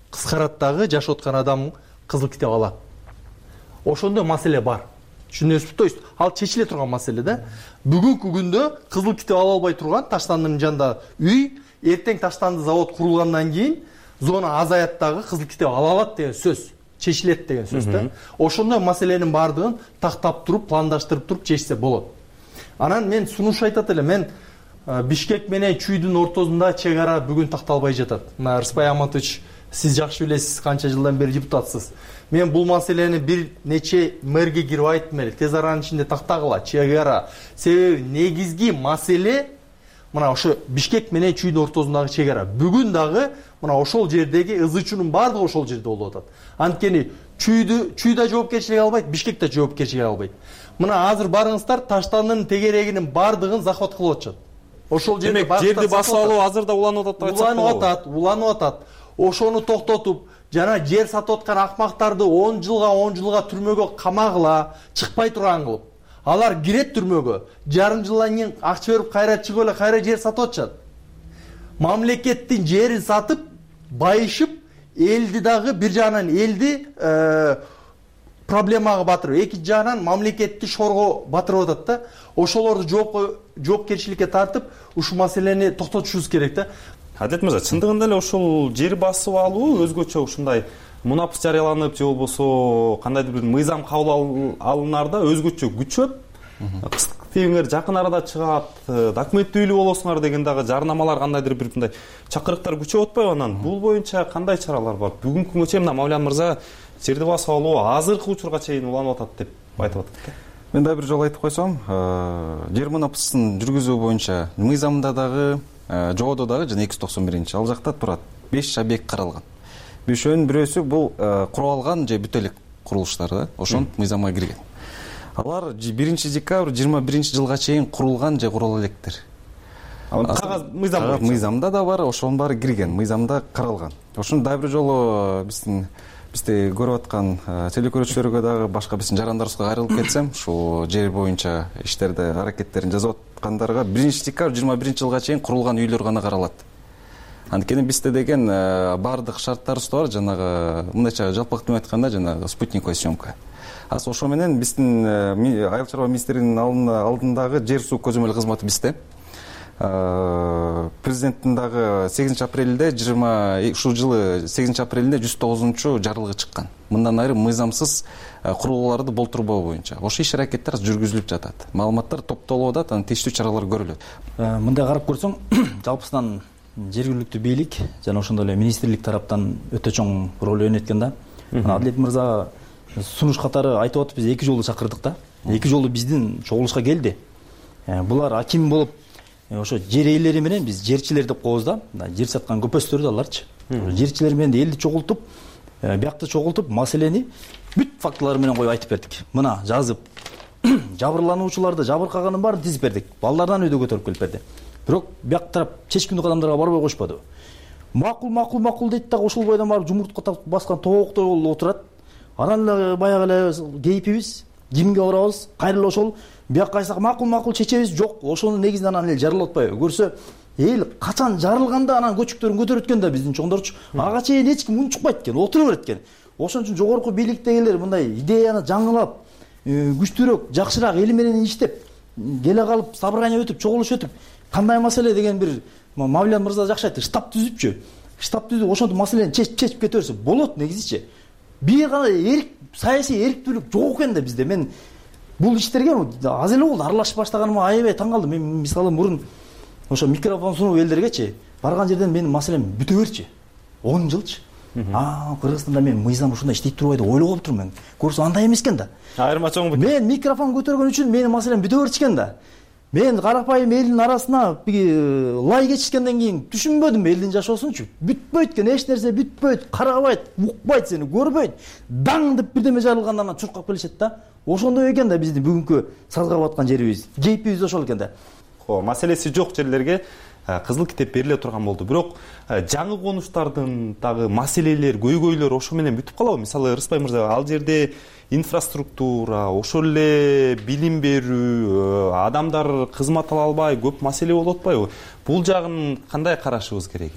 кыскарат дагы жашап аткан адам кызыл китеп алат. Ошондой маселе бар. Түшүнөсүзбү? То есть ал чечиле турган маселе да. Бүгүнкү күндө кызыл китеп ала албай турган Таштандынын жанында үй, эртең Таштанды завод курулгандан кийин зона азаят дагы кызыл китеп ала алат деген сөз. Чечилет деген сөз да. Ошондой маселенин баардыгын тактап туруп, пландаштырып туруп чечсе болот. Анан мен сунуш айтат элем, мен Бишкек менен Чүйдүн ортосунда чек ара бүгүн такталбай жатат. Мына Рыспай Аматович, сиз жакшы билесиз, канча жылдан бери депутатсыз. Мен бул маселени бир нече мэрге кирип айттым эле, тез аранын ичинде тактагыла, чек ара. Себеби негизги маселе мына ошо Бишкек менен Чүйдүн ортосундагы чек ара. Бүгүн дагы мына ошол жердеги ызычуунун баардыгы ошол жерде болуп атат. Анткени Чүйдү Чүйдө жоопкерчилик албайт, Бишкек да жоопкерчилик албайт. Мына азыр барыңыздар Таштандынын тегерегинин баардыгын захват кылып атышат. Ошол жерде жерди басып алуу азыр да уланып атат деп айтсак болобу? Уланып атат, уланып атат. Ошону токтотуп, жана жер сатып аткан акмактарды он жылга он жылга түрмөгө камагыла, чыкпай турган кылып. Алар кирет түрмөгө, жарым жылдан кийин акча берип кайра чыгып эле кайра жер сатып атышат. Мамлекеттин жерин сатып, байышып, элди дагы бир жагынан элди проблемага батырып, экинчи жагынан мамлекетти шорго батырып атат да. Ошолорду жоопкерчиликке тартып, ушул маселени токтотушубуз керек да. Адилет мырза, чындыгында эле ошол жер басып алуу өзгөчө ушундай мунапыс жарыяланып же болбосо кандайдыр бир мыйзам кабыл алынаарда өзгөчө күчөп, кыстыктыгыңар жакын арада чыгат, документтүүлүү болосуңар деген дагы жарнамалар, кандайдыр бир мындай чакырыктар күчөп атпайбы? Анан бул боюнча кандай чаралар бар? Бүгүнкү күнгө чейин Мавлян мырза жерди басып алуу азыркы учурга чейин уланып атат деп айтып атат. Мен да бир жолу айтып койсом, жер мунапысын жүргүзүү боюнча мыйзамда дагы, жободо дагы жана эки жүз токсон биринчи ал жакта турат. беш объект каралган. Бешөөнүн бирөөсү бул куралган же бүтө элек курулуштар да, ошон мыйзамга кирген. Алар биринчи декабрь жыйырма биринчи жылга чейин курулган же курала электер. Кагаз мыйзам мыйзамда да бар, ошонун баары кирген, мыйзамда каралган. Ошону да бир жолу биздин бизди көрүп аткан телекөрүүчүлөргө дагы башка биздин жарандарыбызга кайрылып кетсем, ушул жер боюнча иштерди, аракеттерин жасап аткандарга биринчи декабрь жыйырма биринчи жылга чейин курулган үйлөр гана каралат. Анткени бизде деген баардык шарттарыбыз бар, жанагы мындайча жалпактуу айтканда жанагы спутниковый съемка. Аз ошо менен биздин айыл чарба министринин алдындагы жер суу көзөмөл кызматы бизде. Президенттин дагы сегизинчи апрелде жыйырма ушул жылы сегизинчи апрелде жүз тогузунчу жарлыгы чыккан. Мындан ары мыйзамсыз курулууларды болтурбоо боюнча ошо иш аракеттер жүргүзүлүп жатат. Маалыматтар топтолуп атат, анан тиештүү чаралар көрүлөт. Мындай карап көрсөң, жалпысынан жергиликтүү бийлик жана ошондой эле министрлик тараптан өтө чоң роль ойноткен да. Адилет мырза сунуш катары айтып атып, биз эки жолу чакырдык да. Эки жолу биздин чогулушка келди. булар аким болуп ошо жер ээлери менен биз жерчилер деп коебуз да, жер саткан көпөстөр да аларчы. Жерчилер менен элди чогултуп, биякты чогултуп, маселени бүт фактылар менен коюп айтып бердик. Мына жазып, жабырлануучуларды жабыркаганын баарын тизип бердик. Балдардан өйдө көтөрүп келип берди. Бирок бияк тарап чечкиндик адамдарга барбай коюшпады. Макул, макул, макул дейт дагы ошол бойдон барып жумуртка баскан тооктой болуп отурат. Анан эле баягы эле кейпибиз, кимге барабыз, кайрылып ошол биякка айтсак макул, макул чечебиз. Жок, ошонун негизинен анан эл жарылып атпайбы? Көрсө, эл качан жарылганда анан көчүктөрүн көтөрөт экен да биздин чоңдорчу. Ага чейин эч ким унчукпайт экен, отура берет экен. Ошон үчүн жогорку бийликтегилер мындай идеяны жаңылап, күчтүүрөөк, жакшыраак эл менен иштеп, келе калып, собрание өтүп, чогулуш өтүп, кандай маселе деген бир Мавлен мырза жакшы айтты, штаб түзүпчү. Штаб түзүп, ошентип маселени чечип чечип кете берсе болот негизичи. Бир гана эрк, саясий эрктүүлүк жок экен да бизде. Мен бул иштерге аз эле болду аралашып баштаганыма аябай таң калдым. Мен мисалы мурун ошо микрофон сунуп элдергечи барган жерден менин маселем бүтө берчи. он жылчы. А, Кыргызстанда мен мыйзам ушундай иштей турбайт деп ойлоп отурмун мен. Көрсө андай эмес экен да. Айырма чоң. Мен микрофон көтөргөн үчүн менин маселем бүтө берчи экен да. Мен карапайым элдин арасына лай кечишкенден кийин түшүнбөдүм элдин жашоосунчу. Бүтпөйт экен, эч нерсе бүтпөйт, карабайт, укпайт сени, көрбөйт. Даң деп бирдеме жарылгандан анан чуркап келишет да. Ошондой экен да биздин бүгүнкү сазга баткан жерибиз. Кейпибиз ошол экен да. О, маселеси жок жерлерге кызыл китеп бериле турган болду. Бирок жаңы конуштардын дагы маселелер, көйгөйлөр ошо менен бүтүп калабы? Мисалы Рыспай мырза, ал жерде инфраструктура, ошол эле билим берүү, адамдар кызмат ала албай көп маселе болуп атпайбы? Бул жагын кандай карашыбыз керек?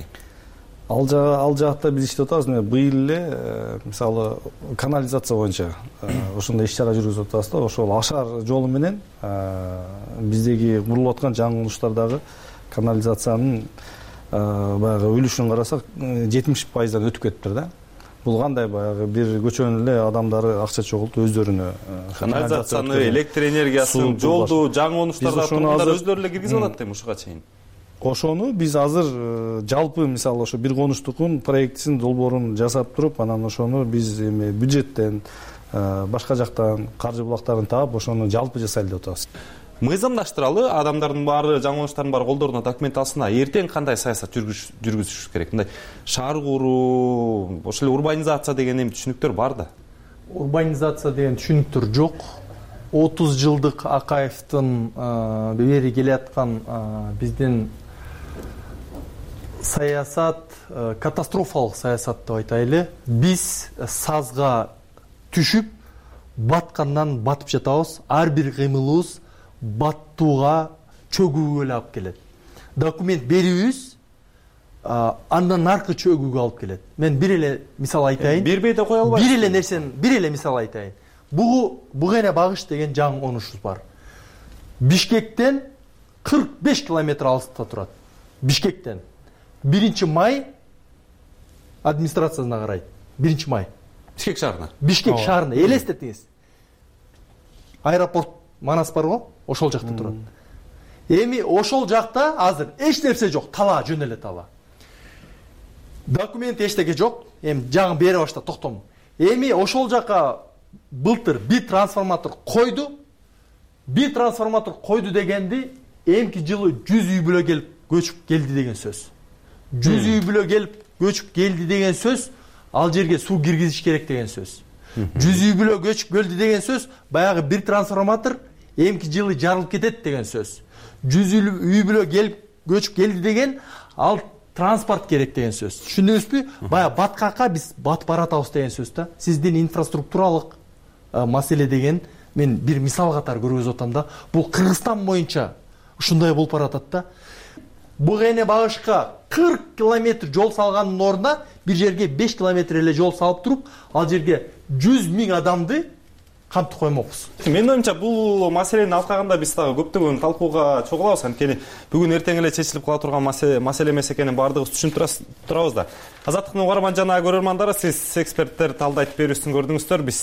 Ал жагы ал жакта биз иштеп атабыз. Быйыл эле мисалы канализация боюнча ошондой иш-чара жүргүзүп атабыз да. Ошол ашар жолу менен биздеги курулуп аткан жаңы конуштардагы канализациянын баягы үлүшүн карасак жетимиш пайыздан өтүп кетиптир да. Бул кандай баягы бир көчөнүн эле адамдары акча чогултуп өздөрүнө канализацияны, электр энергиясын, жолду жаңы конуштарда тургундар өздөрү эле киргизип алат дейм ушуга чейин. Ошону биз азыр жалпы мисалы ошо бир конуштукун проектисин долбоорун жасап туруп, анан ошону биз эми бюджеттен башка жактан каржы булактарын таап ошону жалпы жасайлы деп атабыз. Мыйзамдаштыралы, адамдардын баары, жаңы конуштардын баары колдоруна документ алсын. Эртең кандай саясат жүргүзүш керек? Мындай шаар куруу, ошол эле урбанизация деген эми түшүнүктөр бар да. Урбанизация деген түшүнүктөр жок. отуз жылдык Акаевдин бери келе аткан биздин саясат катастрофалык саясат деп айтайлы. Биз сазга түшүп, баткандан батып жатабыз. Ар бир кыймылыбыз баттууга, чөгүүгө эле алып келет. Документ берүүбүз андан аркы чөгүүгө алып келет. Мен бир эле мисал айтайын. Бербей да кое албайсыз. Бир эле нерсени, бир эле мисал айтайын. Бугу Бугене багыш деген жаңы конушубуз бар. Бишкектен кырк беш километр алыста турат. Бишкектен. биринчи май администрациясына карайт. биринчи май. Бишкек шаарына. Бишкек шаарына. Элестетиңиз. Аэропорт Манас бар го, ошол жакта турат. Эми ошол жакта азыр эч нерсе жок, тала, жөн эле тала. Документ эчтеке жок. Эми жаңы бере башта токтом. Эми ошол жака былтыр бир трансформатор койду. Бир трансформатор койду дегенди эмки жылы жүз үй бүлө келип көчүп келди деген сөз. жүз үй бүлө келип көчүп келди деген сөз, ал жерге суу киргизиш керек деген сөз. жүз үй бүлө көчүп келди деген сөз, баягы бир трансформатор эмки жылы жарылып кетет деген сөз. жүз үй бүлө келип көчүп келди деген, ал транспорт керек деген сөз. Түшүндүңүзбү? Баягы баткакка биз батып баратабыз деген сөз да. Сиздин инфраструктуралык маселе деген мен бир мисал катары көргөзүп атам да. Бул Кыргызстан боюнча ушундай болуп баратат да. Бугене багышка кырк километр жол салгандын ордуна бир жерге беш километр эле жол салып туруп, ал жерге жүз миң адамды кантып коймокпуз. Менин оюмча бул маселени алкаганда биз дагы көптөгөн талкууга чогулабыз. Анткени бүгүн эртең эле чечилип кала турган маселе эмес экенин баардыгыбыз түшүнүп турабыз да. Азаттыктын угарман жана көрөрмандары, сиз эксперттер талдоо айтып берүүсүн көрдүңүздөр. Биз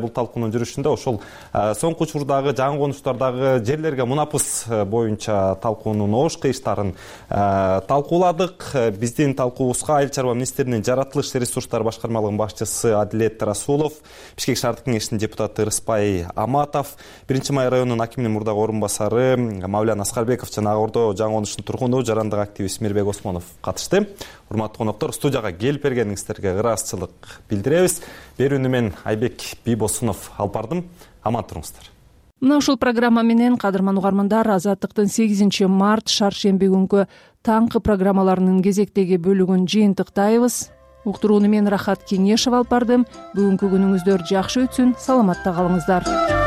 бул талкуунун жүрүшүндө ошол соңку учурдагы жаңы конуштардагы жерлерге мунапыс боюнча талкуунун ош кыйыштарын талкууладык. Биздин талкуубузга Айыл чарба министринин жаратылыш ресурстары башкармалыгынын башчысы Адилет Расулов, Бишкек шаардык кеңешинин депутаты Рыспай Аматов, биринчи май районунун акиминин мурдагы орун басары Мавлян Аскарбеков жана Ак Ордо жаңы конуштун тургуну жарандык активист Мирбек Осмонов катышты. Урматтуу коноктор, студияга келип бергениңиздерге ыраазычылык билдиребиз. Берүүнү мен Айбек Бийбосунов алып бардым. Аман туруңуздар. Мына ушул программа менен кадырман угармандар, Азаттыктын сегизинчи март шаршемби күнгү таңкы программаларынын кезектеги бөлүгүн жыйынтыктайбыз. Уктурууну мен Рахат Кеңешев алып бардым. Бүгүнкү күнүңүздөр жакшы өтсүн, саламатта калыңыздар.